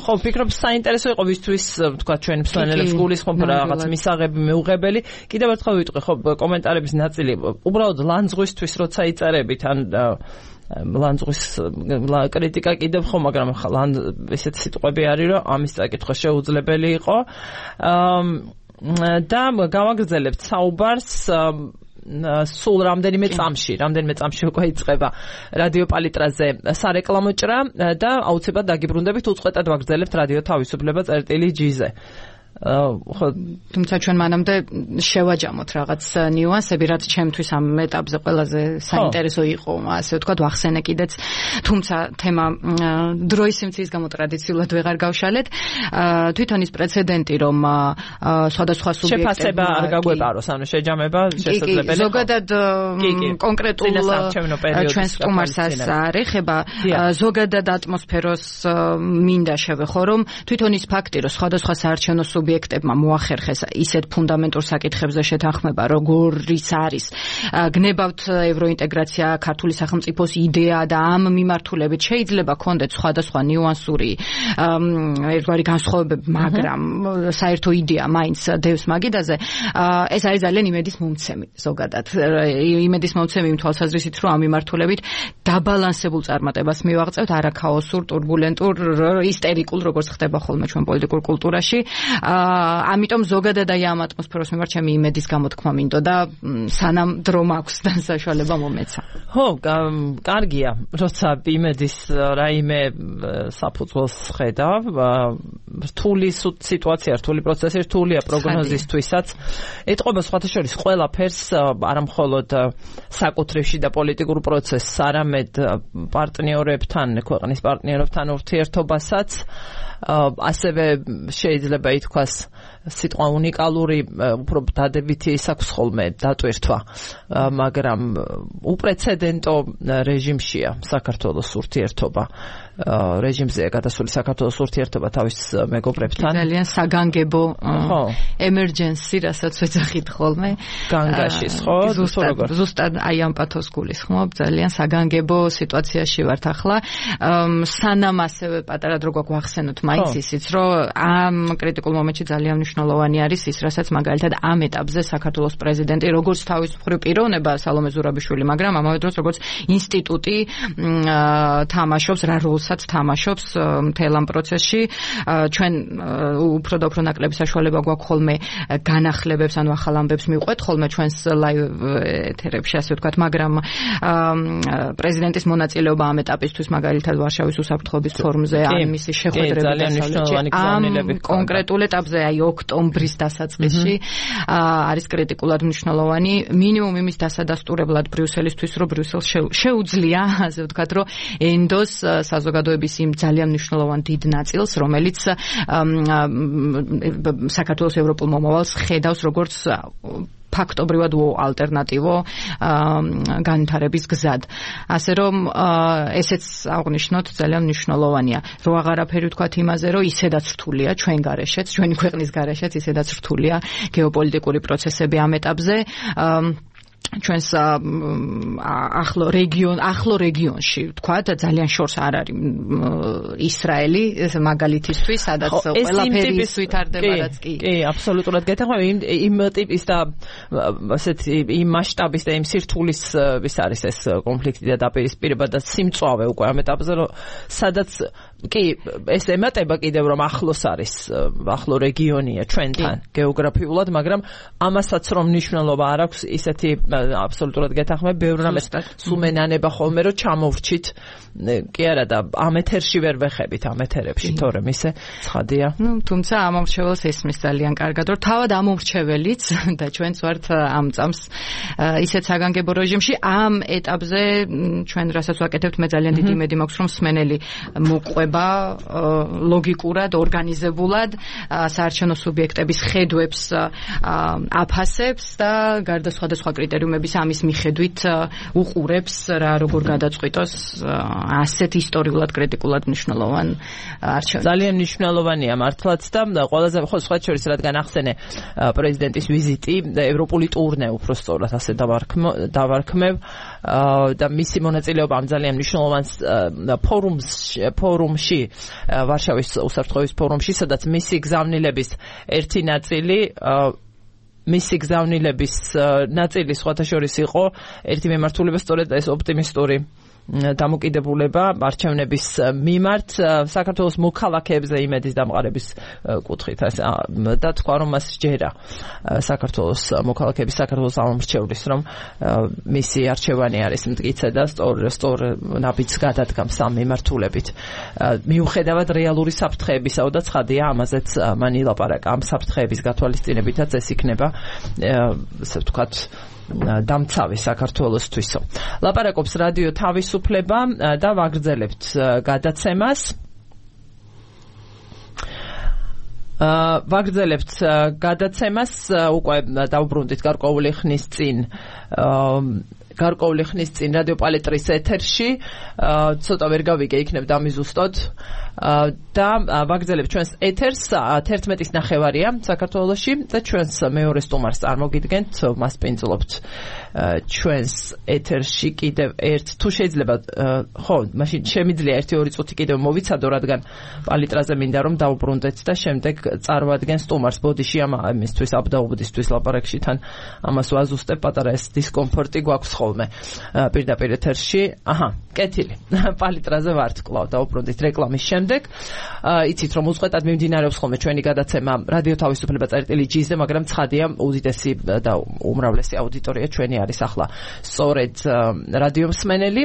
ხო, ვფიქრობ საინტერესო იყო ვისთვის, თქვა ჩვენ მსმენელებს გულისხმობ რაღაც მისაღები მეუღებელი. კიდევ ერთხელ ვიტყვი, ხო, კომენტარების ნაწილი უბრალოდ ლანძღვისთვის როცა იწერებით, ან ლანძღვის კრიტიკა კიდევ ხო, მაგრამ ესეთი სიტყვები არის, რომ ამის წაკითხვა შეუძლებელი იყო. და გავაგრძელებთ საუბარს სულ რამდენიმე წამში, რამდენიმე წამში უკვე იწყება რადიო პალიტრაზე სარეკლამო ჭრა და აუცილებლად დაგიბრუნდებით, უწყვეტად ვაგრძელებთ რადიო თავისუფლება წერტილი ჯი-ზე. თუმცა ჩვენ მანამდე შევაჯამოთ რაღაც ნიუანსები, რაც ჩემთვის ამ ეტაპზე ყველაზე საინტერესო იყო, ასე ვთქვათ, ვახსენე კიდეც. თუმცა თემა დროის სიმციის გამო ტრადიციულად ვეღარ გავშალეთ. თვითონ ის პრეცედენტი, რომ სხვადასხვა სუბიექტებმა შეფასება არ გაგვეპაროს, ანუ შეჯამება შესაძლებელია. ზოგადად კონკრეტულ ჩვენ სტუმარსაც არ ეხება, ზოგადად ატმოსფეროს მინდა შევეხო, რომ თვითონ ის ფაქტი, რომ სხვადასხვა საარჩევნო სუბიექტებმა მოახერხეს ისეთ ფუნდამენტურ საკითხებზე შეთანხმება, როგორიც არის გნებავთ ევროინტეგრაცია, ქართული სახელმწიფოს იდეა და ამ მიმართულებით შეიძლება კონდეთ სხვადასხვა ნიუანსური ერთგვარი განსხვავებები, მაგრამ საერთო იდეა მაინც დევს მაგიდაზე. ეს არის ძალიან იმედის მომცემი ზოგადად. იმედის მომცემი იმ თვალსაზრისით, რომ ამ მიმართულებით დაბალანსებულ წარმატებას მივაღწევთ, არა ქაოსურ, ტურბულენტურ, ისტერიკულ, როგორც ხდება ხოლმე ჩვენ პოლიტიკურ კულტურაში. ამიტომ ზოგადად აი ამ ატმოსფეროს მიმართ ჩემი იმედის გამოთქმა მინდოდა, სანამ დრო მაქვს და საშუალება მომეცა. ხო, კარგია, როცა იმედის რაიმე საფუძველს ხედავ, რთული სიტუაცია, რთული პროცესი, რთულია პროგნოზისთვისაც. ეტყობა სხვათა შორის ყველაფერს, არა მხოლოდ საკუთრივში და პოლიტიკურ პროცესს, არამედ პარტნიორებთან, ქვეყნის პარტნიორებთან ურთიერთობასაც. ასევე შეიძლება ითქვას სიტყვა უნიკალური, უფრო დადებითი ის აქვს ხოლმე დატვირთვა, მაგრამ უპრეცედენტო რეჟიმშია საქართველოს ურთიერთობა. რეჟიმზეა გადასული საქართველოს ურთიერთობა თავის მეგობრებთან. ძალიან საგანგებო ემერჯენსი, რასაც ვეძახით ხოლმე. განგაშის, ხო? ზუსტად, ზუსტად აი ამ პათოს გულისხმობ, ძალიან საგანგებო სიტუაციაში ვართ ახლა. სანამ ასევე პატარა დრო გვახსენოთ მაინც ისიც, რომ ამ კრიტიკულ მომენტში ძალიან მნიშვნელოვანი არის ის, რასაც მაგალითად ამ ეტაპზე საქართველოს პრეზიდენტი, როგორც თავის მხრივ პიროვნება სალომე ზურაბიშვილი, მაგრამ ამავე დროს როგორც ინსტიტუტი თამაშობს, რა როლსაც თამაშობს მთელ ამ პროცესში. ჩვენ უფრო და უფრო ნაკლები საშუალება გვაქვს ხოლმე განახლებებს, ანუ ახალ ამბებს მივყვეთ ხოლმე ჩვენს ლაივ ეთერებში, ასე ვთქვათ, მაგრამ პრეზიდენტის მონაწილეობა ამ ეტაპისთვის მაგალითად ვარშავის უსაფრთხოების ფორუმზე, ან მისი შეხვედრები ამ კონკრეტულ ეტაპზე, აი ოქტომბრის დასაწყისში არის კრიტიკულად მნიშვნელოვანი. მინიმუმ იმის დასადასტურებლად ბრიუსელისთვის, რომ ბრიუსელს შეუძლია, ასე ვთქვათ, რომ ენდოს საზოგადოების იმ ძალიან მნიშვნელოვან დიდ ნაწილს, რომელიც საქართველოს ევროპულ მომავალს ხედავს როგორც ფაქტობრივად ალტერნატივო განვითარების გზად. ასე რომ ესეც აღნიშნოთ ძალიან მნიშვნელოვანია. რო აღარაფერი ვთქვათ იმაზე, რომ ისედაც რთულია ჩვენ გარეშეც, ჩვენი ქვეყნის გარეშეც ისედაც რთულია გეოპოლიტიკური პროცესები ამ ეტაპზე. ჩვენს ახლო რეგიონ ახლო რეგიონში ვთქვათ ძალიან შორს არ არის ისრაელი მაგალითისთვის, სადაც ყველაფერი ვითარდება, რაც კი კი აბსოლუტურად გეთახმები იმ ტიპის და ასეთი იმ მასშტაბის და იმ სირთულის ვის არის ეს კონფლიქტი და დაპირისპირება და სიმწვავე უკვე ამ ეტაპზე, რომ სადაც კი ეს ემატება კიდევ რომ ახლოს არის, ახლო რეგიონია ჩვენთან გეოგრაფიულად, მაგრამ ამასაც რომ მნიშვნელობა არ აქვს, ისეთი აბსოლუტურად გეთახმები, ბევრ რამეს სუმენანება ხოლმე რომ ჩამოვრჩით, კი არა და ამ ეთერში ვერ ვეხებით, ამ ეთერებში, თორემ ისე ცხადია. ნუ თუმცა ამ მომრჩეველს ესმის ძალიან კარგად, რომ თავად ამ მომრჩეველიც და ჩვენც ვართ ამ წამს ისეთ საგანგებო რეჟიმში, ამ ეტაპზე ჩვენ რასაც ვაკეთებთ, მე ძალიან დიდი იმედი მაქვს, რომ მსმენელი მოყვება ეხება ლოგიკურად, ორგანიზებულად საარჩევნო სუბიექტების ხედვებს აფასებს და გარდა სხვადასხვა კრიტერიუმების ამის მიხედვით უყურებს რა როგორ გადაწყვიტოს ასეთ ისტორიულად კრიტიკულად მნიშვნელოვან არჩევნებს. ძალიან მნიშვნელოვანია მართლაც და ყველაზე ხო სხვა შორის რადგან ახსენე პრეზიდენტის ვიზიტი ევროპული ტურნე უბრალოდ ასე დავარქმევ და მისი მონაწილეობა ამ ძალიან მნიშვნელოვან ფორუმში ფორუმში ვარშავის უსაფრთხოების ფორუმში, სადაც მისი გზავნილების ერთი ნაწილი მისი გზავნილების ნაწილი სხვათა შორის იყო ერთი მიმართულება სწორედ ეს ოპტიმისტური დამოკიდებულება არჩევნების მიმართ საქართველოს მოქალაქეებზე იმედის დამყარების კუთხით და თქვა რომ მას ჯერა საქართველოს მოქალაქეების საქართველოს ამომრჩევლის რომ მისი არჩევანი არის მტკიცე და სწორ სწორ ნაბიჯს გადადგამს ამ მიმართულებით მიუხედავად რეალური საფრთხეებისა და ცხადია ამაზეც მან ილაპარაკა ამ საფრთხეების გათვალისწინებითაც ეს იქნება ასე ვთქვათ დამცავი საქართველოსთვისო. ლაპარაკობს რადიო თავისუფლება და ვაგრძელებთ გადაცემას. ვაგრძელებთ გადაცემას უკვე დავბრუნდით გარკვეული ხნის წინ გარკვეული ხნის წინ რადიო პალეტრის ეთერში ცოტა ვერ გავიგე იქნებ დამიზუსტოთ და ვაგრძელებთ ჩვენს ეთერს თერთმეტის ნახევარია საქართველოში და ჩვენს მეორე სტუმარს წარმოგიდგენთ მას პინძლობთ ჩვენს ეთერში კიდევ ერთ თუ შეიძლება ხო მაშინ შემიძლია ერთი ორი წუთი კიდევ მოვიცადო რადგან პალიტრაზე მინდა რომ დავბრუნდეთ და შემდეგ წარმოადგენ სტუმარს ბოდიში ამ ამისთვის აბდაუბდისთვის ლაპარაკში თან ამას ვაზუსტებ პატარა ეს დისკომფორტი გვაქვს ხოლმე პირდაპირ ეთერში აჰა კეთილი პალიტრაზე ვართ კვლავ დავბრუნდით რეკლამის შემდეგ იცით რომ უწყვეტად მიმდინარეობს ხოლმე ჩვენი გადაცემა რადიო თავისუფლება წერტილი ჯი-ზე მაგრამ ცხადია უდიდესი და უმრავლესი აუდიტორია ჩვენი არის ახლა სწორედ რადიო მსმენელი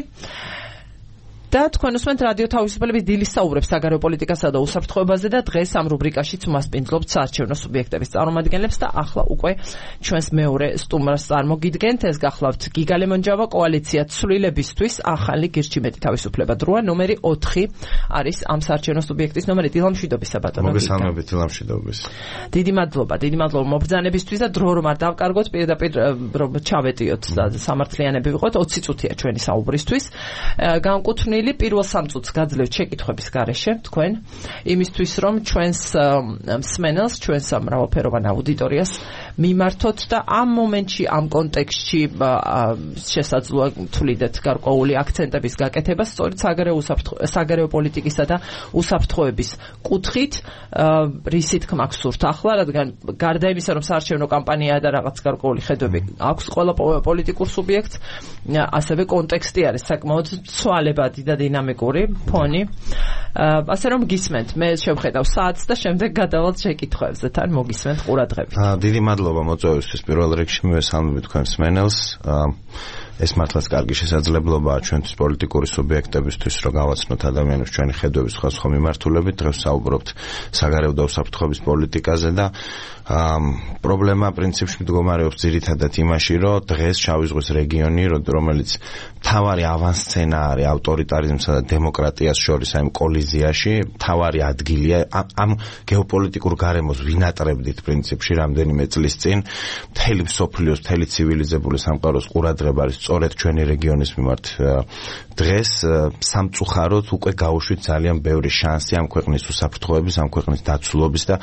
და თქვენ უსმენთ რადიო თავისუფლების დილის საუბრებს საგარეო პოლიტიკასა და უსაფრთხოებაზე და დღეს ამ რუბრიკაშიც მასპინძლობთ საარჩევნო სუბიექტების წარმომადგენლებს და ახლა უკვე ჩვენს მეორე სტუმარს წარმოგიდგენთ ეს გახლავთ გიგა ლემონჯავა კოალიცია ცვლილებისთვის ახალი გირჩი მეტი თავისუფლება დროა ნომერი ოთხი არის ამ საარჩევნო სუბიექტის ნომერი დილამშვიდობისა ბატონო მოგესალმებით დილამშვიდობის დიდი მადლობა დიდი მადლობა მობრძანებისთვის და დრო რომ არ დავკარგოთ პირდაპირ რომ ჩავეტიოთ და სამართლიანები ვიყოთ ოცი წუთია ჩვენი საუბრისთვის განკუთვნილი პირველ სამ წუთს გაძლევთ შეკითხვების გარეშე თქვენ იმისთვის რომ ჩვენს მსმენელს ჩვენს მრავალფეროვან აუდიტორიას მიმართოთ და ამ მომენტში ამ კონტექსტში შესაძლოა თვლიდეთ გარკვეული აქცენტების გაკეთება სწორედ საგარეო საგარეო პოლიტიკისა და უსაფრთხოების კუთხით რის თქმა გსურთ ახლა რადგან გარდა იმისა რომ საარჩევნო კამპანიაა და რაღაც გარკვეული ხედვები აქვს ყველა პოლიტიკურ სუბიექტს ასევე კონტექსტი არის საკმაოდ ცვალებადი და დინამიკური ფონი ასე რომ გისმენთ მე შევხედავ საათს და შემდეგ გადავალთ შეკითხვებზე თან მოგისმენთ ყურადღებით დიდი მადლობა მოწვევისთვის პირველ რიგში მივესალმებით თქვენს მსმენელს ეს მართლაც კარგი შესაძლებლობაა ჩვენთვის პოლიტიკური სუბიექტებისთვის რომ გავაცნოთ ადამიანებს ჩვენი ხედვების სხვადასხვა მიმართულებით დღეს საუბრობთ საგარეო და უსაფრთხოების პოლიტიკაზე და პრობლემა პრინციპში მდგომარეობს ძირითადად იმაში რომ დღეს შავი ზღვის რეგიონი რომელიც თავარი ავანსცენარი ავტორიტარიზმსა და დემოკრატიას შორის აი კოლიზიაში თავარი ადგილია ამ გეოპოლიტიკურ გარემოს ვინატრებდით პრინციპში რამდენიმე წლის წინ მთელი მსოფლიოს მთელი ცივილიზებული სამყაროს ყურადღება არის სწორედ ჩვენი რეგიონის მიმართ დღეს სამწუხაროდ უკვე გაუშვით ძალიან ბევრი შანსი ამ ქვეყნის უსაფრთხოების ამ ქვეყნის დაცულობის და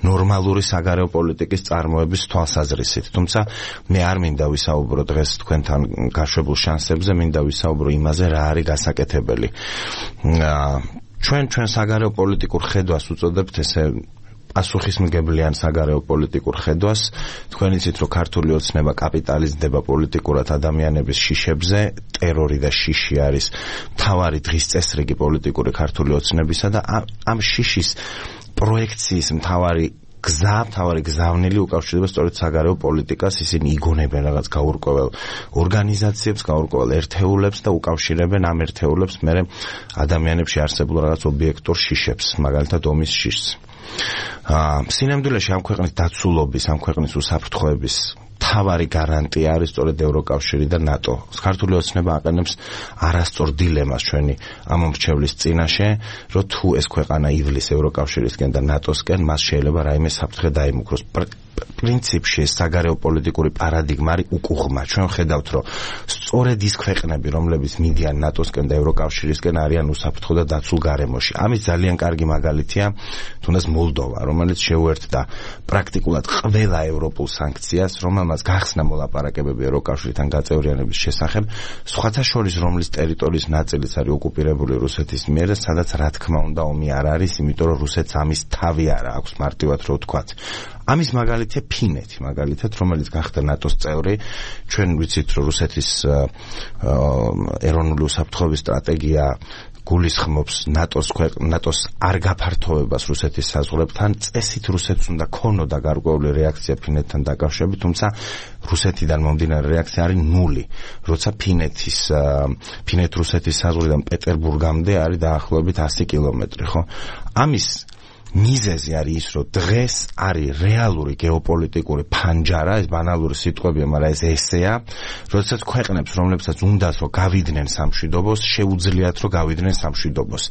ნორმალური საგარეო პოლიტიკის წარმოების თვალსაზრისით თუმცა მე არ მინდა ვისაუბრო დღეს თქვენთან გაშვებულ შანსებზე მინდა ვისაუბრო იმაზე რა არის გასაკეთებელი ჩვენ ჩვენ საგარეო პოლიტიკურ ხედვას უწოდებთ ესე პასუხისმგებლიან საგარეო პოლიტიკურ ხედვას თქვენ იცით რომ ქართული ოცნება კაპიტალიზდება პოლიტიკურად ადამიანების შიშებზე ტერორი და შიში არის მთავარი დღის წესრიგი პოლიტიკური ქართული ოცნებისა და ამ შიშის პროექციის მთავარი გზა, მთავარი გზავნილი უკავშირდება სწორედ საგარეო პოლიტიკას, ისინი იგონებენ რაღაც გაურკვეველ ორგანიზაციებს, გაურკვეველ ერთეულებს და უკავშირებენ ამ ერთეულებს მერე ადამიანებში არსებულ რაღაც ობიექტურ შიშებს, მაგალითად ომის შიშს. სინამდვილეში ამ ქვეყნის დაცულობის, ამ ქვეყნის უსაფრთხოების მთავარი გარანტია არის სწორედ ევროკავშირი და ნატო. ქართული ოცნება აყენებს არასწორ დილემას ჩვენი ამომრჩევლის წინაშე, რომ თუ ეს ქვეყანა ივლის ევროკავშირისკენ და ნატოსკენ, მას შეიძლება რაიმე საფრთხე დაიმუქროს. პრინციპში ეს საგარეო პოლიტიკური პარადიგმა არის უკუღმა. ჩვენ ხედავთ, რომ სწორედ ის ქვეყნები, რომლებიც მიდიან ნატოსკენ და ევროკავშირისკენ, არიან უსაფრთხო და დაცულ გარემოში. ამის ძალიან კარგი მაგალითია თუნდაც მოლდოვა, რომელიც შეუერთდა პრაქტიკულად ყველა ევროპულ სანქციას, რომელმაც გახსნა მოლაპარაკებები ევროკავშირთან გაწევრიანების შესახებ, სხვათა შორის რომლის ტერიტორიის ნაწილიც არის ოკუპირებული რუსეთის მიერ და სადაც რა თქმა უნდა ომი არ არის, იმიტომ რომ რუსეთს ამის თავი არ აქვს მარტივად რო ვთქვათ. ამის მაგალითია ფინეთი, მაგალითად, რომელიც გახდა ნატოს წევრი. ჩვენ ვიცით, რომ რუსეთის ეროვნული უსაფრთხოების სტრატეგია გულისხმობს ნატოს ნატოს არ გაფართოვებას რუსეთის საზღვრებთან. წესით რუსეთს უნდა ქონოდა გარკვეული რეაქცია ფინეთთან დაკავშირებით, თუმცა რუსეთიდან მომდინარე რეაქცია არის ნული. როცა ფინეთის ფინეთ-რუსეთის საზღვრიდან პეტერბურგამდე არის დაახლოებით ასი კილომეტრი, ხო? ამის მიზეზი არის ის, რომ დღეს არის რეალური გეოპოლიტიკური ფანჯარა, ეს ბანალური სიტყვებია, მაგრამ ეს ესეა, როდესაც ქვეყნებს, რომლებსაც უნდათ რომ გავიდნენ სამშვიდობოს, შეუძლიათ რომ გავიდნენ სამშვიდობოს.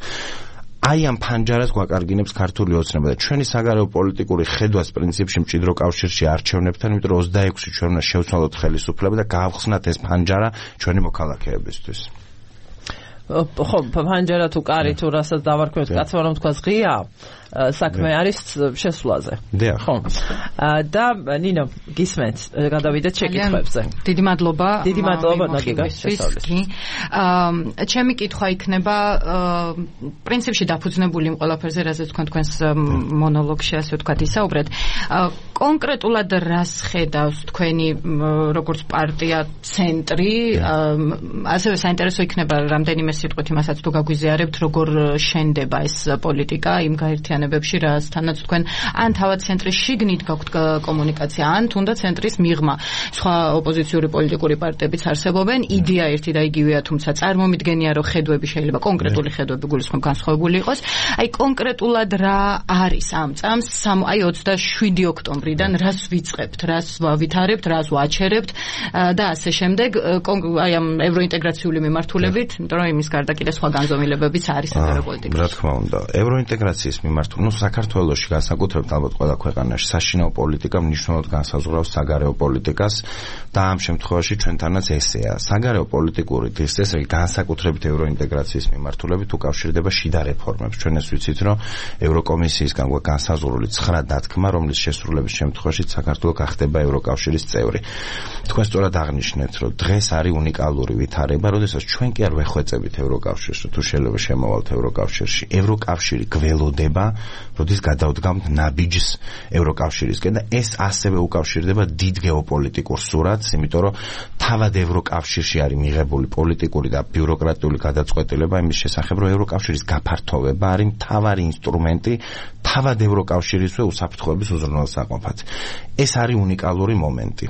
აი ამ ფანჯარას გვაკარგინებს ქართული ოცნება და ჩვენი საგარეო პოლიტიკური ხედვას პრინციპში მჭიდრო კავშირში არჩევნებთან, იმიტომ რომ ოცდაექვსი ჩვენ უნდა შევცვალოთ ხელისუფლება და გავხსნათ ეს ფანჯარა ჩვენი მოქალაქეებისთვის. ხო, ფანჯარა თუ კარი თუ რასაც დავარქვევთ, კაცმა რომ თქვა ღია, საქმე არის შესვლაზე. ხო. და ნინო, გისმენთ, გადავიდეთ შეკითხვებზე. დიდი მადლობა. დიდი მადლობა ნაგიგასთვის. აა, ჩემი კითხვა იქნება პრინციპში დაფუძნებული იმ ყველაფერზე, რასაც თქვენ თქვენს მონოლოგში ასე ვთქვათ ისაუბრეთ. კონკრეტულად რას ხედავს თქვენი როგორც პარტია ცენტრი, ასევე საინტერესო იქნება რამდენიმე სიტყვით იმასაც თუ გაგვიზიარებთ, როგორ შენდება ეს პოლიტიკა იმ გაერთიანებებში, რასთანაც თქვენ ან თავად ცენტრის შიგნით გაქვთ კომუნიკაცია, ან თუნდაც ცენტრის მიღმა. სხვა ოპოზიციური პოლიტიკური პარტიებიც არსებობენ, იდეა ერთი და იგივეა, თუმცა წარმომიდგენია, რომ ხედვები შეიძლება კონკრეტული ხედვები გულისხმობ განსხვავებული იყოს. აი კონკრეტულად რა არის ამ წამს, აი ოცდაშვიდი ოქტომბრიდან რას ვიწყებთ, რას ვითარებთ, რას ვაჩერებთ და ასე შემდეგ, აი ამ ევროინტეგრაციული მიმართულებით, იმიტომ რომ იმის გარდა კიდე სხვა განზომილებებიც არის საგარეო პოლიტიკაში. რა თქმა უნდა, ევროინტეგრაციის მიმართულ, ნუ საქართველოში განსაკუთრებით ალბათ ყველა ქვეყანაში საშინაო პოლიტიკა მნიშვნელოვნად განსაზღვრავს საგარეო პოლიტიკას და ამ შემთხვევაში ჩვენთანაც ესეა. საგარეო პოლიტიკური დისციპლინა განსაკუთრებით ევროინტეგრაციის მიმართულებით უკავშირდება შიდა რეფორმებს. ჩვენ ეს ვიცით, რომ ევროკომისიისგან გვაქვს განსაზღვრული ცხრა დათქმა, რომლის შესრულების შემთხვევაში საქართველო გახდება ევროკავშირის წევრი. თქვენ სწორად აღნიშნეთ, რომ დღეს არის უნიკალური ვითარება, როდესაც ჩვენ კი არ ვეხვეწებით ევროკავშირში, თუ შეიძლება შემოვალთ ევროკავშირში. ევროკავშირი გველოდება, როდის გადავდგამთ ნაბიჯს ევროკავშირისკენ და ეს ასევე უკავშირდება დიდ გეოპოლიტიკურ სურათს, იმიტომ რომ თავად ევროკავშირში არის მიღებული პოლიტიკური და ბიუროკრატიული გადაწყვეტილება იმის შესახებ, რომ ევროკავშირის გაფართოვება არის მთავარი ინსტრუმენტი თავად ევროკავშირისვე უსაფრთხოების უზრუნველსაყოფად. ეს არის უნიკალური მომენტი.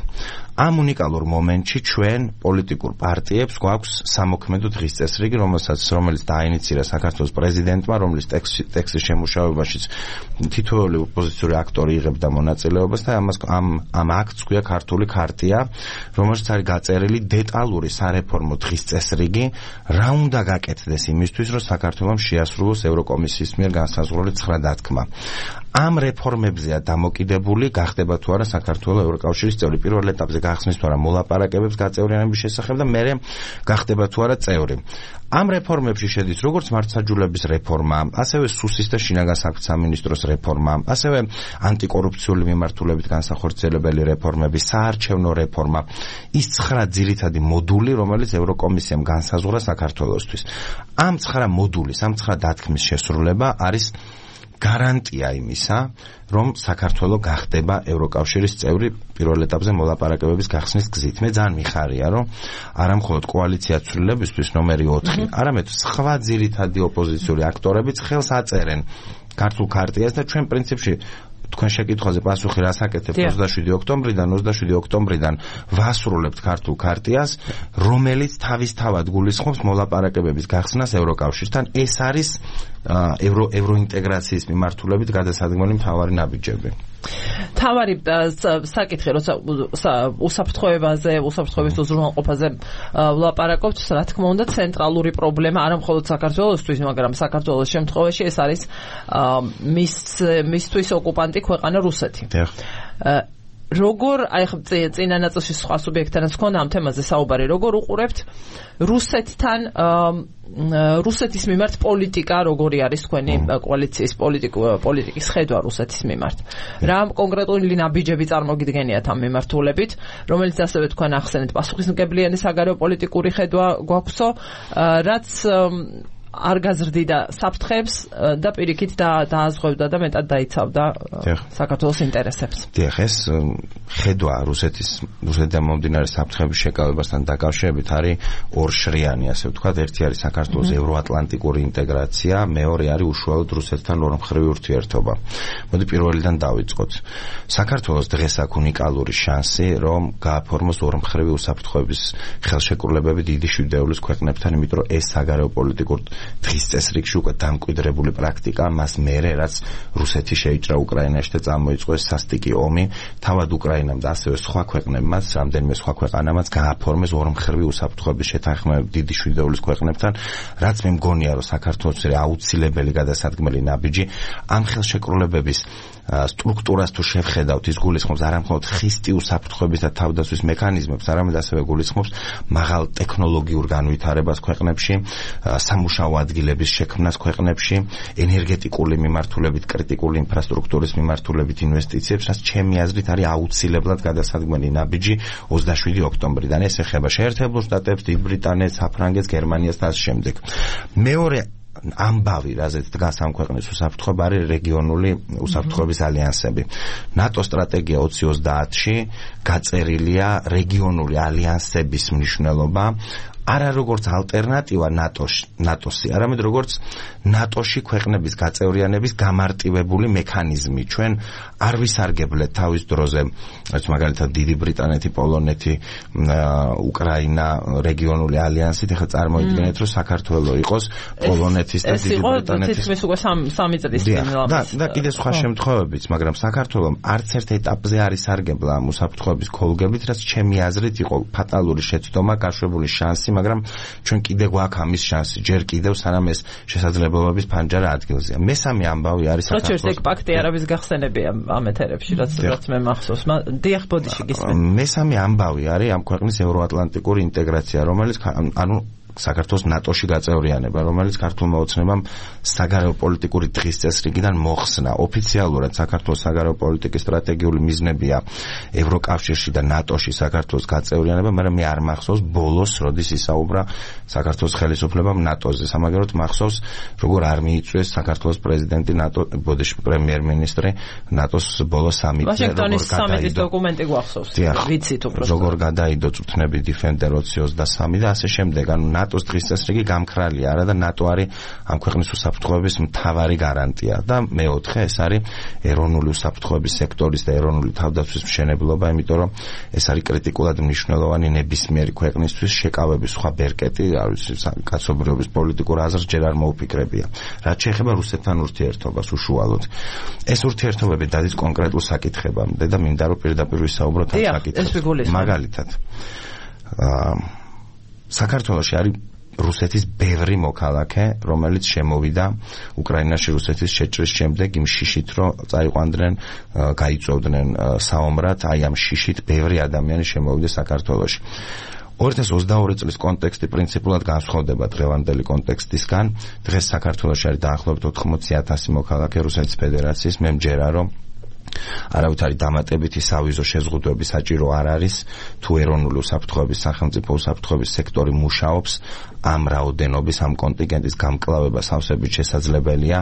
ამ უნიკალურ მომენტში ჩვენ პოლიტიკურ პარტიებს გვაქვს სამოქმედო დღის წესრიგი, რომელსაც რომელიც დაინიცირა საქართველოს პრეზიდენტმა, რომლის ტექსტის შემუშავებაშიც თითოეული ოპოზიციური აქტორი იღებდა მონაწილეობას და ამას ამ ამ აქტს ქვია ქართული ქარტია, რომელშიც არის გაწერილი დეტალური სარეფორმო დღის წესრიგი, რა უნდა გაკეთდეს იმისთვის, რომ საქართველოს შეასრულოს ევროკომისიის მიერ განსაზღვრული ცხრა დათქმა. ამ რეფორმებზეა დამოკიდებული გახდება თუ არა საქართველოს ევროკავშირის წევრი. პირველ ეტაპზე გახსნის თუ არა მოლაპარაკებებს გაწევრიანების შესახებ და მერე გახდება თუ არა წევრი. ამ რეფორმებში შედის როგორც მართლმსაჯულების რეფორმა, ასევე სუსის და შინაგან საქმეთა სამინისტროს რეფორმა, ასევე ანტიკორუფციული მიმართულებით განსახორციელებელი რეფორმები, საარჩევნო რეფორმა, ის ცხრა ძირითადი მოდული, რომელიც ევროკომისიამ განსაზღვრა საქართველოსთვის. ამ ცხრა მოდულის, ამ ცხრა დათქმის შესრულება არის გარანტია იმისა, რომ საქართველო გახდება ევროკავშირის წევრი პირველ ეტაპზე მოლაპარაკებების გახსნის გზით. მე ძალიან მიხარია, რომ არა მხოლოდ კოალიცია ცვლილებისთვის ნომერი ოთხი, არამედ სხვა ძირითადი ოპოზიციური აქტორებიც ხელს აწერენ ქართულ ქარტიას და ჩვენ პრინციპში თქვენ შეკითხვაზე პასუხი რას აკეთებთ ოცდაშვიდი ოქტომბრიდან ოცდაშვიდი ოქტომბრიდან ვასრულებთ ქართულ ქარტიას, რომელიც თავისთავად გულისხმობს მოლაპარაკებების გახსნას ევროკავშირთან. ეს არის ევრო ევროინტეგრაციის მიმართულებით გადასადგმელი მთავარი ნაბიჯები. თავარი საკითხი, როცა უსაფრთხოებაზე, უსაფრთხოების უზრუნველყოფაზე ვლაპარაკობთ, რა თქმა უნდა, ცენტრალური პრობლემა არა მხოლოდ საქართველოსთვის, მაგრამ საქართველოს შემთხვევაში ეს არის მის მისთვის ოკუპანტი ქვეყანა რუსეთი. როგორ აი ხ წინა ნაწილში სხვა სუბიექტთანაც ხონა ამ თემაზე საუბარი, როგორ უყურებთ რუსეთთან რუსეთის მიმართ პოლიტიკა, როგორი არის თქვენი კოალიციის პოლიტიკის ხედვა რუსეთის მიმართ? რა კონკრეტული ნაბიჯები წარმოგიდგენიათ ამ მიმართულებით, რომელიც ასევე თქვენ ახსენეთ, პასუხისმგებლიანი საგარეო პოლიტიკური ხედვა გვაქვსო, რაც არ გაზრდიდა საფრთხებს და პირიქით დააზღვევდა და მეტად დაიცავდა საქართველოს ინტერესებს. დიახ, ეს ხედვა რუსეთის რუსეთიდან მომდინარე საფრთხების შეკავებასთან დაკავშირებით არის ორშრიანი, ასე ვთქვათ, ერთი არის საქართველოს ევროატლანტიკური ინტეგრაცია, მეორე არის უშუალოდ რუსეთთან ორმხრივი ურთიერთობა. მოდი პირველიდან დავიწყოთ. საქართველოს დღეს აქვს უნიკალური შანსი, რომ გააფორმოს ორმხრივი უსაფრთხოების ხელშეკრულებები დიდი შვიდეულის ქვეყნებთან, იმიტომ რომ ეს საგარეო პოლიტიკურ დღის წესრიგში უკვე დამკვიდრებული პრაქტიკა, მას მერე რაც რუსეთი შეიჭრა უკრაინაში და წამოიწყო ეს სასტიკი ომი, თავად უკრაინამ და ასევე სხვა ქვეყნებმაც, რამდენიმე სხვა ქვეყანამაც გააფორმეს ორმხრივი უსაფრთხოების შეთანხმებები დიდი შვიდეულის ქვეყნებთან, რაც მე მგონია, რომ საქართველოს აუცილებელი გადასადგმელი ნაბიჯი ამ ხელშეკრულებების სტრუქტურას თუ შევხედავთ, ის გულისხმობს არა მხოლოდ ხისტი უსაფრთხოების და თავდაცვის მექანიზმებს, არამედ ასევე გულისხმობს მაღალ ტექნოლოგიურ განვითარებას ქვეყნებში, სამუშაო ადგილების შექმნას ქვეყნებში, ენერგეტიკული მიმართულებით, კრიტიკული ინფრასტრუქტურის მიმართულებით ინვესტიციებს, რაც ჩემი აზრით არის აუცილებლად გადასადგმელი ნაბიჯი ოცდაშვიდი ოქტომბრიდან. ეს ეხება შეერთებულ შტატებს, დიდ ბრიტანეთს, საფრანგეთს, გერმანიას და ასე შემდეგ. მეორე ამბავი, რაზეც დგას ამ ქვეყნის უსაფრთხოება, არის რეგიონული უსაფრთხოების ალიანსები. ნატო სტრატეგია ოცი ოცდაათში გაწერილია რეგიონული ალიანსების მნიშვნელობა არა როგორც ალტერნატივა ნატოში, ნატოსი, არამედ როგორც ნატოში ქვეყნების გაწევრიანების გამარტივებული მექანიზმი. ჩვენ არ ვისარგებლეთ თავის დროზე, რაც მაგალითად დიდი ბრიტანეთი, პოლონეთი, უკრაინა რეგიონული ალიანსით, ეხლა წარმოიდგინეთ, რომ საქართველოს იყოს პოლონეთის და დიდი ბრიტანეთის. ეს იყო სამი წლის წინ. და და კიდე სხვა შემთხვევებიც, მაგრამ საქართველოს არც ერთ ეტაპზე არ ისარგებლა ამ უსაფრთხოების ქოლგებით, რაც ჩემი აზრით იყო ფატალური შეცდომა, გაშვებული შანსი, მაგრამ ჩვენ კიდე გვაქვს ამის შანსი, ჯერ კიდევ სანამ ეს შესაძლებლობების ფანჯარა ადგილზეა. მესამე ამბავი არის საქართველოს. როჩერს ეგ პაქტი არაბის გახსენებია ამ ეთერებში, რაც რაც მე მახსოვს. დიახ, ბოდიში გისმენთ. მესამე ამბავი არის ამ ქვეყნის ევროატლანტიკური ინტეგრაცია, რომელიც ანუ საქართველოს ნატოში გაწევრიანება, რომელიც ქართულმა ოცნებამ საგარეო პოლიტიკური დღის წესრიგიდან მოხსნა. ოფიციალურად საქართველოს საგარეო პოლიტიკის სტრატეგიული მიზნებია ევროკავშირში და ნატოში საქართველოს გაწევრიანება, მაგრამ მე არ მახსოვს ბოლოს, როდის ისაუბრა საქართველოს ხელისუფლებამ ნატოზე. სამაგეროდ მახსოვს, როგორ არ მიიწვიეს საქართველოს პრეზიდენტი ნატო, ბოდიში პრემიერ-მინისტრი ნატოს ბოლოს სამიტზე, ვაშინგტონის სამიტის დოკუმენტი გვახსოვს. ვიცით უბრალოდ. როგორ გადაიდო წუთნები დიფენდერ ოცი ოცდასამი და ასე შემდეგ. ანუ ნატოს დღის წესრიგი გამქრალია არა და ნატო არის ამ ქვეყნის უსაფრთხოების მთავარი გარანტია და მეოთხე ეს არის ეროვნული უსაფრთხოების სექტორის და ეროვნული თავდაცვის მშენებლობა, იმიტომ რომ ეს არის კრიტიკულად მნიშვნელოვანი ნებისმიერი ქვეყნისთვის შეკავების სხვა ბერკეტი, არის კაცობრიობის პოლიტიკურ აზრს ჯერ არ მოუფიქრებია. რაც შეეხება რუსეთთან ურთიერთობას უშუალოდ. ეს ურთიერთობები დადის კონკრეტულ საკითხებამდე და მინდა რომ პირდაპირ ვისაუბროთ ამ საკითხებზე. მაგალითად საქართველოში არის რუსეთის ბევრი მოქალაქე, რომელიც შემოვიდა უკრაინაში რუსეთის შეჭრის შემდეგ იმ შიშით, რომ წაიყვანდნენ, გაიწვევდნენ საომრად, აი ამ შიშით ბევრი ადამიანი შემოვიდა საქართველოში. ორი ათას ოცდაორი წლის კონტექსტი პრინციპულად განსხვავდება დღევანდელი კონტექსტისგან. დღეს საქართველოში არის დაახლოებით ოთხმოცი ათასი მოქალაქე რუსეთის ფედერაციის. მე მჯერა, რომ არავითარი დამატებითი სავიზო შეზღუდვები საჭირო არ არის, თუ ეროვნული უსაფრთხოების სახელმწიფო უსაფრთხოების სექტორი მუშაობს, ამ რაოდენობის, ამ კონტინგენტის გამკლავება სავსებით შესაძლებელია.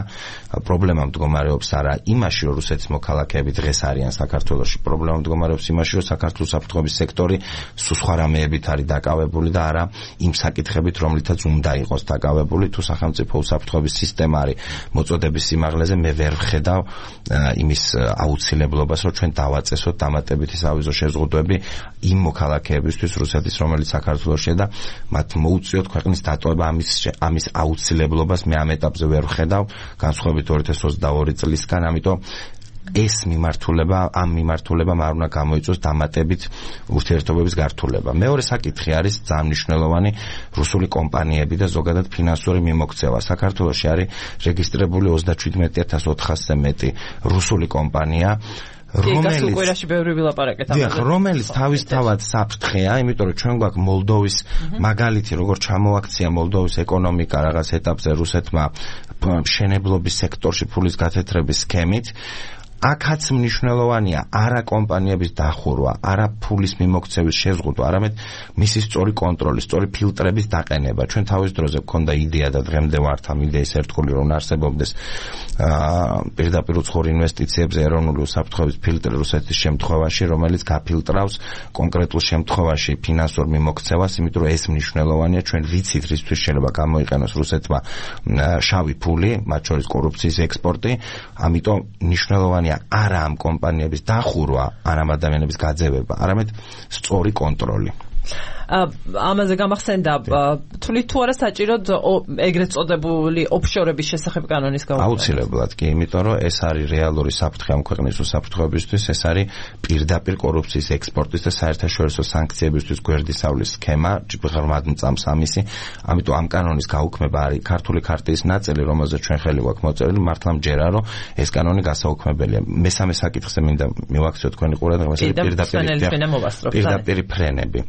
პრობლემა მდგომარეობს არა იმაში, რომ რუსეთის მოქალაქეები დღეს არიან საქართველოში, პრობლემა მდგომარეობს იმაში, რომ საქართველოს უსაფრთხოების სექტორი სულ სხვა რამეებით არის დაკავებული და არა იმ საკითხებით, რომლითაც უნდა იყოს დაკავებული. თუ სახელმწიფო უსაფრთხოების სისტემა არის მოწოდების სიმაღლეზე, მე ვერ ვხედავ იმის აუცილებლობას აუცილებლობას, რომ ჩვენ დავაწესოთ დამატებითი სავიზო შეზღუდვები იმ მოქალაქეებისთვის რუსეთის, რომელიც საქართველოშია და მათ მოუწიოთ ქვეყნის დატოვება. ამის ამის აუცილებლობას მე ამ ეტაპზე ვერ ვხედავ, განსხვავებით ორი ათას ოცდაორი წლისგან, ამიტომ ეს მიმართულება, ამ მიმართულებამ არ უნდა გამოიწვიოს დამატებით ურთიერთობების გართულება. მეორე საკითხი არის ძალიან მნიშვნელოვანი რუსული კომპანიები და ზოგადად ფინანსური მიმოქცევა. საქართველოში არის რეგისტრირებული ოცდაჩვიდმეტი ათას ოთხასზე მეტი რუსული კომპანია, რომელიც უყურაში ბევრი ვილაპარაკეთ ამაზე. რომელიც თავისთავად საფრთხეა, იმიტომ რომ ჩვენ გვაქვს მოლდოვის მაგალითი, როგორ ჩამოაქცია მოლდოვის ეკონომიკა რაღაც ეტაპზე რუსეთმა მშენებლობის სექტორში ფულის გათეთრების სქემით. აქაც მნიშვნელოვანია არა კომპანიების დახურვა, არა ფულის მიმოქცევის შეზღუდვა, არამედ მისი სწორი კონტროლი, სწორი ფილტრების დაყენება. ჩვენ თავის დროზე გვქონდა იდეა და დღემდე ვართ ამ იდეის ერთგული, რომ არსებობდეს პირდაპირ უცხოურ ინვესტიციებზე ეროვნული უსაფრთხოების ფილტრი რუსეთის შემთხვევაში, რომელიც გაფილტრავს კონკრეტულ შემთხვევაში ფინანსურ მიმოქცევას, იმიტომ რომ ეს მნიშვნელოვანია. ჩვენ ვიცით, რისთვის შეიძლება გამოიყენოს რუსეთმა შავი ფული, მათ შორის კორუფციის ექსპორტი, ამიტომ მნიშვნელოვანია არა ამ კომპანიების დახურვა, არა ამ ადამიანების გაძევება, არამედ სწორი კონტროლი. ამაზე გამახსენდა თვლით თუ არა საჭიროდ ეგრეთ წოდებული ოფშორების შესახებ კანონის გაუქმება? აუცილებლად კი, იმიტომ რომ ეს არის რეალური საფრთხე ამ ქვეყნის უსაფრთხოებისთვის, ეს არის პირდაპირ კორუფციის ექსპორტის და საერთაშორისო სანქციებისთვის გვერდისავლის სქემა, ღრმად მწამს ამისი, ამიტომ ამ კანონის გაუქმება არის ქართული ქარტიის ნაწილი, რომელზეც ჩვენ ხელი გვაქვს მოწერილი, მართლა მჯერა, რომ ეს კანონი გასაუქმებელია. მესამე საკითხზე მინდა მივაქციო თქვენი ყურადღება, ეს არის პირდაპირ ფრენები.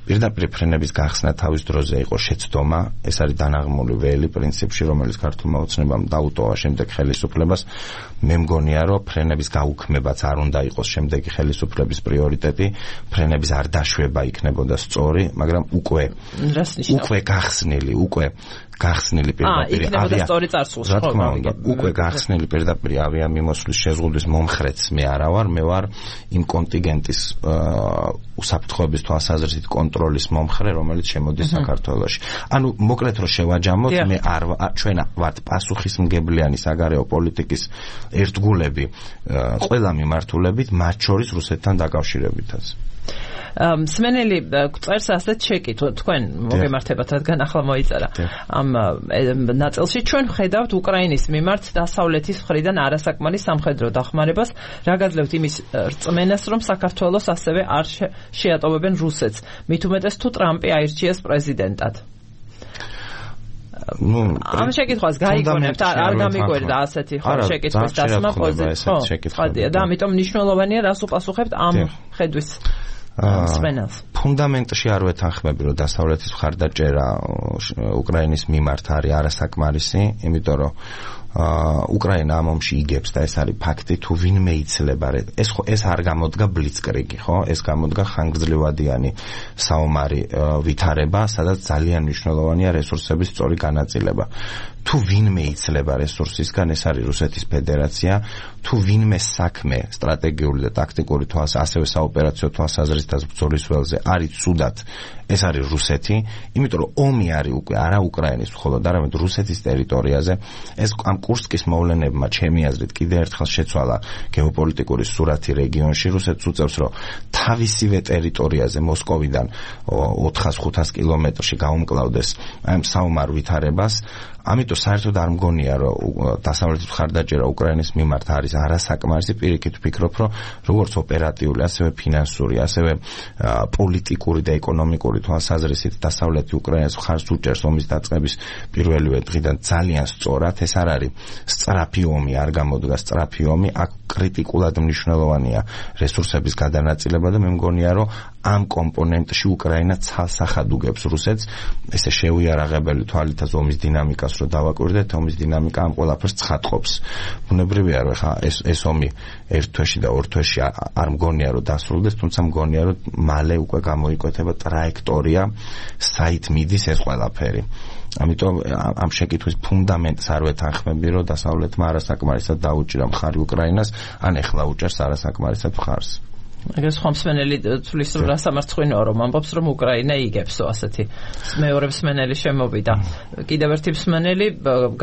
პირდაპირ ფრენების გახსნა თავის დროზე იყო შეცდომა, ეს არის დანაღმული ველი პრინციპში, რომელიც ქართულმა ოცნებამ დაუტოვა შემდეგ ხელისუფლებას. მე მგონია, რომ ფრენების გაუქმებაც არ უნდა იყოს შემდეგი ხელისუფლების პრიორიტეტი, ფრენების არ დაშვება იქნებოდა სწორი, მაგრამ უკვე უკვე გახსნილი, უკვე გახსნილი პირდაპირ ავია სწორი წარსულში, რა თქმა უნდა, უკვე გახსნილი პირდაპირ ავიამიმოსვლის შეზღუდვის მომხრეც მე არა ვარ, მე ვარ იმ კონტინგენტის უსაფრთხოების თვალსაზრისით კონტროლის მომხრე, რომელიც შემოდის საქართველოში. ანუ მოკლედ რომ შევაჯამოთ, მე არ ჩვენ ვართ პასუხისმგებლიანი საგარეო პოლიტიკის ერთგულები ყველა მიმართულებით, მათ შორის რუსეთთან დაკავშირებითაც. მსმენელი წერს ასეთ შეკითხვას, თქვენ მოგემართებათ, რადგან ახლა მოიწერა ამ ნაწილში. ჩვენ ვხედავთ უკრაინის მიმართ დასავლეთის მხრიდან არასაკმარის სამხედრო დახმარებას, რა გაძლევთ იმის რწმენას, რომ საქართველოს ასევე არ შეატოვებენ რუსეთს, მით უმეტეს თუ ტრამპი აირჩიეს პრეზიდენტად. ნუ ამ შეკითხვას გაიგონებთ, არ გამიგვერდა ასეთი შეკითხვის დასმა პოზიციით. ხო, და ამიტომ მნიშვნელოვანია რას უპასუხებთ ამ ხედვის სპენელს. ფუნდამენტში არ ვეთანხმები, რომ დასავლეთის მხარდაჭერა უკრაინის მიმართ არის არასაკმარისი, იმიტომ რომ უკრაინა ამ ომში იგებს და ეს არის ფაქტი, თუ ვინმე იცლება, ეს ეს არ გამოდგა ბლიცკრიგი, ხო? ეს გამოდგა ხანგრძლივადიანი საომარი ვითარება, სადაც ძალიან მნიშვნელოვანია რესურსების სწორი განაწილება. თუ ვინმე იცლება რესურსისგან, ეს არის რუსეთის ფედერაცია, თუ ვინმე საქმე სტრატეგიული და ტაქტიკური თვალს, ასევე საოპერაციო თვალსაზრისით ბრძოლის ველზე არის ცუდად, ეს არის რუსეთი, იმიტომ რომ ომი არის უკვე არა უკრაინის მხოლოდ, არამედ რუსეთის ტერიტორიაზე. ეს ამ კურსკის მოვლენებმა ჩემი აზრით კიდე ერთხელ შეცვალა გეოპოლიტიკური სურათი რეგიონში. რუსეთს უწევს, რომ თავისივე ტერიტორიაზე მოსკოვიდან ოთხას ხუთას კილომეტრში გაუმკლავდეს ამ საომარ ვითარებას. ამიტომ საერთოდ არ მგონია, რომ დასავლეთის მხარდაჭერა უკრაინის მიმართ არის არასაკმარისი. პირიქით ვფიქრობ, რომ როგორც ოპერატიული, ასევე ფინანსური, ასევე პოლიტიკური და ეკონომიკური თვალსაზრისით დასავლეთი უკრაინას მხარს უჭერს ომის დაწყების პირველივე დღიდან ძალიან სწორად. ეს არ არის სწრაფი ომი, არ გამოდგა სწრაფი ომი, აქ კრიტიკულად მნიშვნელოვანია რესურსების გადანაწილება და მე მგონია, რომ ამ კომპონენტში უკრაინა ცალსახად უგებს რუსეთს. ესე შეუიარაღებელი თვალითაც ომის დინამიკას რო დავაკვირდეთ, ომის დინამიკა ამ ყველაფერს ცხადყოფს. ბუნებრივია, რომ ხა ეს ეს ომი ერთ თვეში და ორ თვეში არ მგონია, რომ დასრულდეს, თუმცა მგონია, რომ მალე უკვე გამოიკვეთება ტრაექტორია, საით მიდის ეს ყველაფერი. ამიტომ ამ შეკითხვის ფუნდამენტს არ ვეთანხმები, რომ დასავლეთმა არასაკმარისად დაუჭირა მხარი უკრაინას, ან ეხლა უჭერს არასაკმარისად მხარს. ეგრეს ხომსმენელი თulis რა სამარცხვინოა რომ ამბობს რომ უკრაინა იგებსო ასეთი მეორე მსმენელი შემოვიდა კიდევ ერთი მსმენელი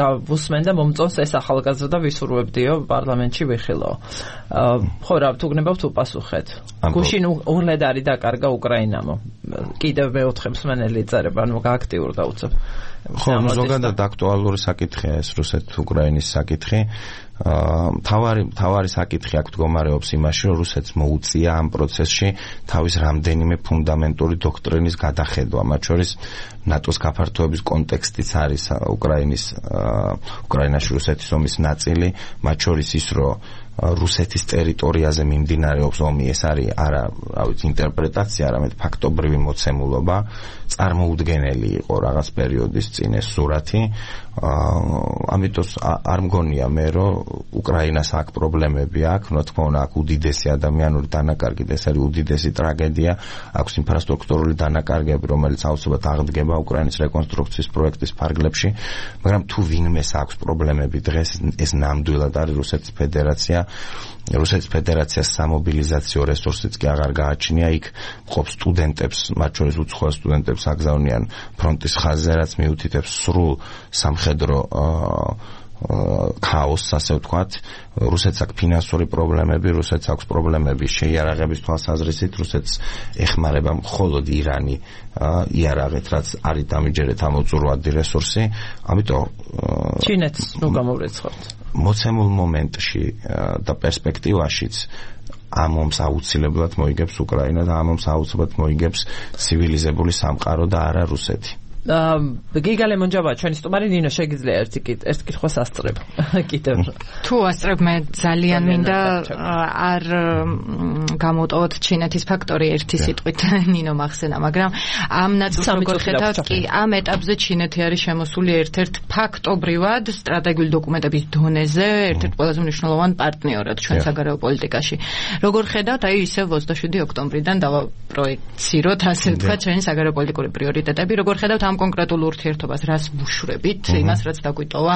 გავუსმენ და მომწონს ეს ახალგაზრდა ვისურვებდიო პარლამენტში ვიხილო ხო რა თუ გნებავთ უპასუხეთ გუშინ უღლედ არის დაკარგა უკრაინამო კიდევ მეოთხე მსმენელი წერება ანუ გააქტიურდა უცებ ხო ზოგადად აქტუალური საკითხია ეს რუსეთ-უკრაინის საკითხი თავარი თავარი საკითხი აქ მდგომარეობს იმაში რომ რუსეთს მოუწია ამ პროცესში თავის რამდენიმე ფუნდამენტური დოქტრინის გადახედვა მათ შორის ნატოს გაფართოების კონტექსტიც არის უკრაინის უკრაინაში რუსეთის ომის ნაწილი მათ შორის ის რომ რუსეთის ტერიტორიაზე მიმდინარეობს ომი ეს არის არა რა ვიცი ინტერპრეტაცია არამედ ფაქტობრივი მოცემულობა წარმოუდგენელი იყო რაღაც პერიოდის წინ ეს სურათი ამიტომ არ მგონია მე რომ უკრაინას აქ პრობლემები აქვს რა თქმა უნდა აქ უდიდესი ადამიანური დანაკარგი ეს არის უდიდესი ტრაგედია აქვს ინფრასტრუქტურული დანაკარგები რომელიც აუცილებლად აღდგება უკრაინის რეკონსტრუქციის პროექტის ფარგლებში მაგრამ თუ ვინმეს აქვს პრობლემები დღეს ეს ნამდვილად არის რუსეთის ფედერაცია რუსეთის ფედერაციას სამობილიზაციო რესურსიც კი აღარ გააჩნია იქ მყოფ სტუდენტებს მათ შორის უცხოელ სტუდენტებს აგზავნიან ფრონტის ხაზზე რაც მიუთითებს სრულ სამხედრო ქაოსს ასე ვთქვათ რუსეთს აქვს ფინანსური პრობლემები რუსეთს აქვს პრობლემები შეიარაღების თვალსაზრისით რუსეთს ეხმარება მხოლოდ ირანი იარაღით რაც არის დამიჯერეთ ამოწურვადი რესურსი ამიტომ ჩინეთს ნუ გამოვრეცხავთ მოცემულ მომენტში და პერსპექტივაშიც ამ ომს აუცილებლად მოიგებს უკრაინა და ამ ომს აუცილებლად მოიგებს ცივილიზებული სამყარო და არა რუსეთი გიგა ლემონჯავა ჩვენი სტუმარი ნინო შეგიძლია ერთი ერთ კითხვას ასწრებ კიდევ თუ ასწრებ მე ძალიან მინდა არ გამოტოვოთ ჩინეთის ფაქტორი ერთი სიტყვით ნინო მახსენა მაგრამ ამ ნაწილს როგორ ხედავთ კი ამ ეტაპზე ჩინეთი არის შემოსული ერთ-ერთ ფაქტობრივად სტრატეგიული დოკუმენტების დონეზე ერთ-ერთ ყველაზე მნიშვნელოვან პარტნიორად ჩვენ საგარეო პოლიტიკაში როგორ ხედავთ აი ისევ ოცდაშვიდი ოქტომბრიდან დავაპროექციროთ ასე ვთქვათ ჩვენი საგარეო პოლიტიკური პრიორიტეტები როგორ ხედავთ ამ კონკრეტულ ურთიერთობას რას ვუშვრებით იმას რაც დაგვიტოვა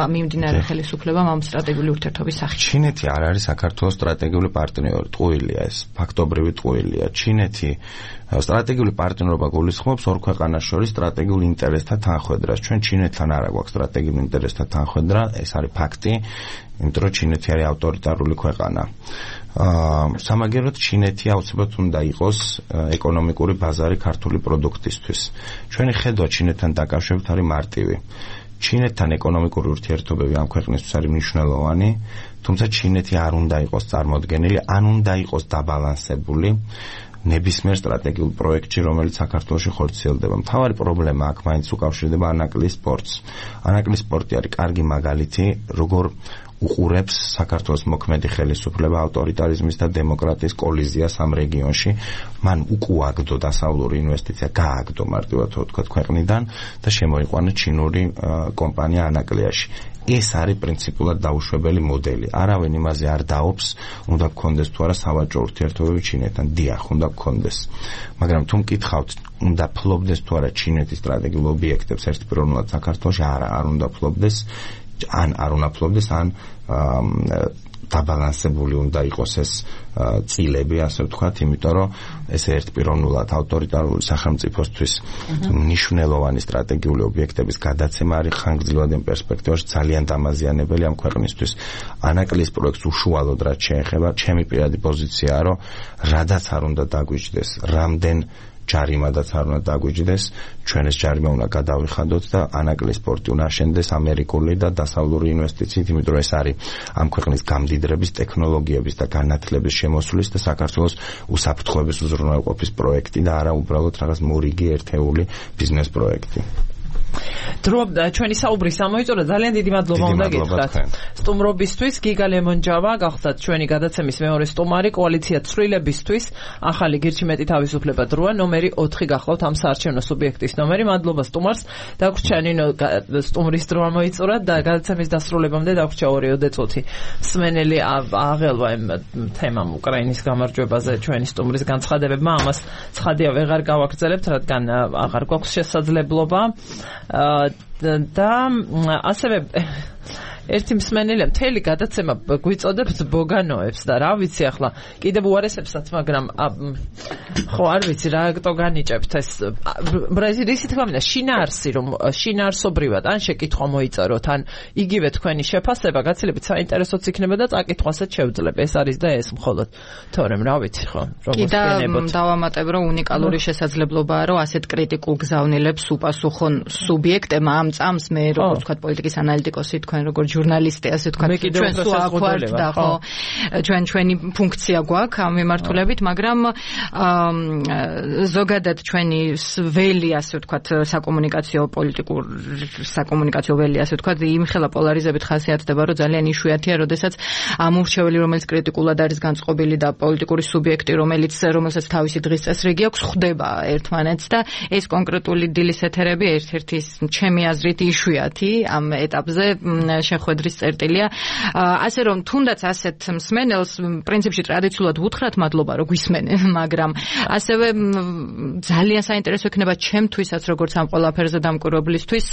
მიმდინარე ხელისუფლებამ ამ სტრატეგიული ურთიერთობის სახით ჩინეთი არ არის საქართველოს სტრატეგიული პარტნიორი ტყუილია ეს ფაქტობრივი ტყუილია ჩინეთი სტრატეგიული პარტნიორობა გულისხმობს ორ ქვეყანას შორის სტრატეგიულ ინტერესთა თანხვედრას ჩვენ ჩინეთთან არ აქვს სტრატეგიული ინტერესთა თანხვედრა ეს არის ფაქტი იმიტომ რომ ჩინეთი არის ავტორიტარული ქვეყანა სამაგეროდ ჩინეთი აუცილებლად უნდა იყოს ეკონომიკური ბაზარი ქართული პროდუქტისთვის ჩვენი ხედვა ჩინეთთან დაკავშირებით არის მარტივი ჩინეთთან ეკონომიკური ურთიერთობები ამ ქვეყნისთვის არის მნიშვნელოვანი თუმცა ჩინეთი არ უნდა იყოს წარმოდგენილი ან უნდა იყოს დაბალანსებული ნებისმიერ სტრატეგიულ პროექტში რომელიც საქართველოში ხორციელდება მთავარი პრობლემა აქ მაინც უკავშირდება ანაკლის სპორტს ანაკლის სპორტი არის კარგი მაგალითი როგორ უყურებს საქართველოს მოქმედი ხელისუფლება ავტორიტარიზმის და დემოკრატიის კოლიზიას ამ რეგიონში მან უკუაგდო დასავლური ინვესტიცია გააგდო მარტივად ვთქვათ ქვეყნიდან და შემოიყვანა ჩინური კომპანია ანაკლიაში ეს არის პრინციპულად დაუშვებელი მოდელი არავინ იმაზე არ დაობს უნდა გქონდეს თუ არა სავაჭრო ურთიერთობები ჩინეთთან დიახ უნდა გქონდეს მაგრამ თუ მკითხავთ უნდა ფლობდეს თუ არა ჩინეთის სტრატეგიულ ობიექტებს ერთპიროვნულად საქართველოში არა არ უნდა ფლობდეს ან არ უნდა ფლობდეს ან დაბალანსებული უნდა იყოს ეს წილები ასე ვთქვათ იმიტომ რომ ეს ერთპიროვნულად ავტორიტარული სახელმწიფოსთვის მნიშვნელოვანი სტრატეგიული ობიექტების გადაცემა არის ხანგრძლივად პერსპექტივაში ძალიან დამაზიანებელი ამ ქვეყნისთვის ანაკლის პროექტს უშუალოდ რაც შეეხება ჩემი პირადი პოზიციაა რომ რადაც არ უნდა დაგვიჯდეს რამდენ ჯარიმადაც არ უნდა დაგვიჯდეს ჩვენ ეს ჯარიმა უნდა გადავიხადოთ და ანაკლის სპორტი უნდა აშენდეს ამერიკული და დასავლური ინვესტიციით იმიტომ რომ ეს არის ამ ქვეყნის გამდიდრების ტექნოლოგიების და განათლების შემოსulis და საქართველოს უსაფრთხოების უზრუნველყოფის პროექტი და არა უბრალოდ რაღაც მორიგი ერთეული ბიზნეს პროექტი დრო ჩვენი საუბრის ამოიწურა ძალიან დიდი მადლობა უნდა გითხრათ სტუმრობისთვის გიგა ლემონჯავა გახდათ ჩვენი გადაცემის მეორე სტუმარი კოალიცია ცვლილებისთვის ახალი გირჩი მეტი თავისუფლება დროა ნომერი ოთხი გახლავთ ამ საარჩევნო სუბიექტის ნომერი მადლობა სტუმარს დაგვრჩა ნინო სტუმრის დრო ამოიწურა და გადაცემის დასრულებამდე დაგვრჩა ორიოდე წუთი მსმენელი აღელვა იმ თემამ უკრაინის გამარჯვებაზე ჩვენი სტუმრის განცხადებებმა ამას ცხადია ვეღარ გავაგრძელებთ რადგან აღარ გვაქვს შესაძლებლობა და ასევე ერთი მსმენელია მთელი გადაცემა გვიწოდებთ ბოგანოებს და რა ვიცი ახლა კიდევ უარესებსაც მაგრამ ხო არ ვიცი რა აქტო განიჭებთ ეს ბრაზილიის თქმა მინდა შინაარსი რომ შინაარსობრივად ან შეკითხვა მოიწეროთ ან იგივე თქვენი შეფასება გაცილებით საინტერესოც იქნება და წაკითხვასაც შევძლებ ეს არის და ეს მხოლოდ თორემ რა ვიცი ხო როგორც ვენებოთ დავამატებ რომ უნიკალური შესაძლებლობაა რომ ასეთ კრიტიკულ გზავნილებს უპასუხონ სუბიექტებმა ამ წამს მე როგორც ვთქვათ პოლიტიკის ანალიტიკოსი თქვენ როგორც ჟურნალისტი ასე ვთქვათ ჩვენ სულ აქვართ და ხო ჩვენ ჩვენი ფუნქცია გვაქვს ამ მიმართულებით მაგრამ ზოგადად ჩვენი ველი ასე ვთქვათ საკომუნიკაციო პოლიტიკურ საკომუნიკაციო ველი ასე ვთქვათ იმხელა პოლარიზებით ხასიათდება რომ ძალიან იშვიათია როდესაც ამ ურჩეველი რომელიც კრიტიკულად არის განწყობილი და პოლიტიკური სუბიექტი რომელიც რომელსაც თავისი დღის წესრიგი აქვს ხვდება ერთმანეთს და ეს კონკრეტული დილის ეთერები ერთ-ერთი ჩემი აზრით იშვიათი ამ ეტაპზე შეხვედრის წერტილია ასე რომ თუნდაც ასეთ მსმენელს პრინციპში ტრადიციულად ვუთხრათ მადლობა რომ გვისმენენ მაგრამ ასევე ძალიან საინტერესო იქნება ჩემთვისაც როგორც ამ ყველაფერზე დამკვირვებლისთვის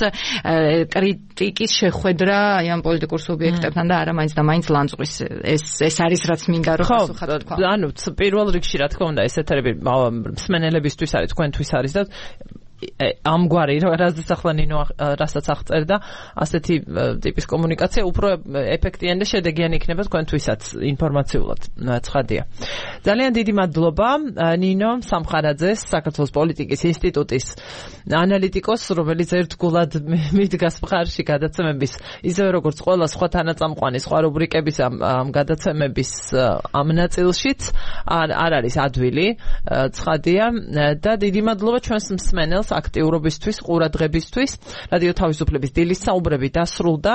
კრიტიკის შეხვედრა აი ამ პოლიტიკურ სუბიექტებთან და არა მაინც და მაინც ლანძღვის ეს ეს არის რაც მინდა რომ პასუხად თქვა. ანუ პირველ რიგში რა თქმა უნდა ეს ეთერები მსმენელებისთვის არის თქვენთვის არის და ამგვარი რასაც ახლა ნინო რასაც აღწერდა ასეთი ტიპის კომუნიკაცია უფრო ეფექტიანი და შედეგიანი იქნება თქვენთვისაც ინფორმაციულად ცხადია. ძალიან დიდი მადლობა ნინო სამხარაძეს საქართველოს პოლიტიკის ინსტიტუტის ანალიტიკოს რომელიც ერთგულად მიდგას მხარში გადაცემების ისევე როგორც ყველა სხვა თანაწამყვანი სხვა რუბრიკების ამ გადაცემების ამ ნაწილშიც არ არის ადვილი ცხადია და დიდი მადლობა ჩვენს მსმენელს აქტიურობისთვის, ყურადღებისთვის. რადიო თავისუფლების დილის საუბრები დასრულდა.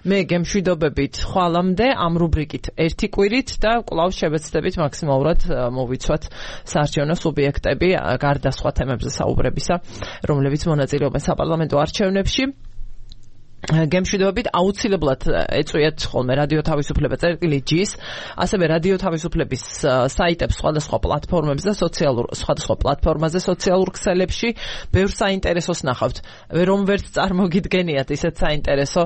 მე გემშვიდობებით ხვალამდე ამ რუბრიკით ერთი კვირით და კვლავ შევეცდებით მაქსიმალურად მოვიცვათ საარჩევნო სუბიექტები გარდა სხვა თემებზე საუბრებისა, რომლებიც მონაწილეობენ საპარლამენტო არჩევნებში. გემშვიდობებით აუცილებლად ეწვიეთ ხოლმე რადიო თავისუფლება წერტილი ჯის, ასევე რადიო თავისუფლების საიტებს სხვადასხვა პლატფორმებზე, სოციალურ სხვადასხვა პლატფორმაზე, სოციალურ ქსელებში, ბევრ საინტერესოს ნახავთ. რომ ვერც წარმოგიდგენიათ ისეთ საინტერესო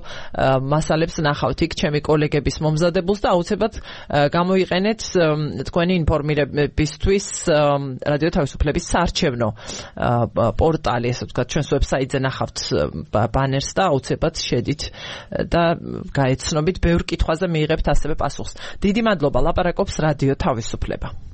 მასალებს ნახავთ იქ ჩემი კოლეგების მომზადებულს და აუცილებლად გამოიყენეთ თქვენი ინფორმირებისთვის რადიო თავისუფლების საარჩევნო პორტალი, ასე ვთქვათ, ჩვენს ვებსაიტზე ნახავთ ბანერს და აუცილებლად შედით და გაეცნობით ბევრ კითხვაზე მიიღებთ ასევე პასუხს. დიდი მადლობა, ლაპარაკობს რადიო თავისუფლება.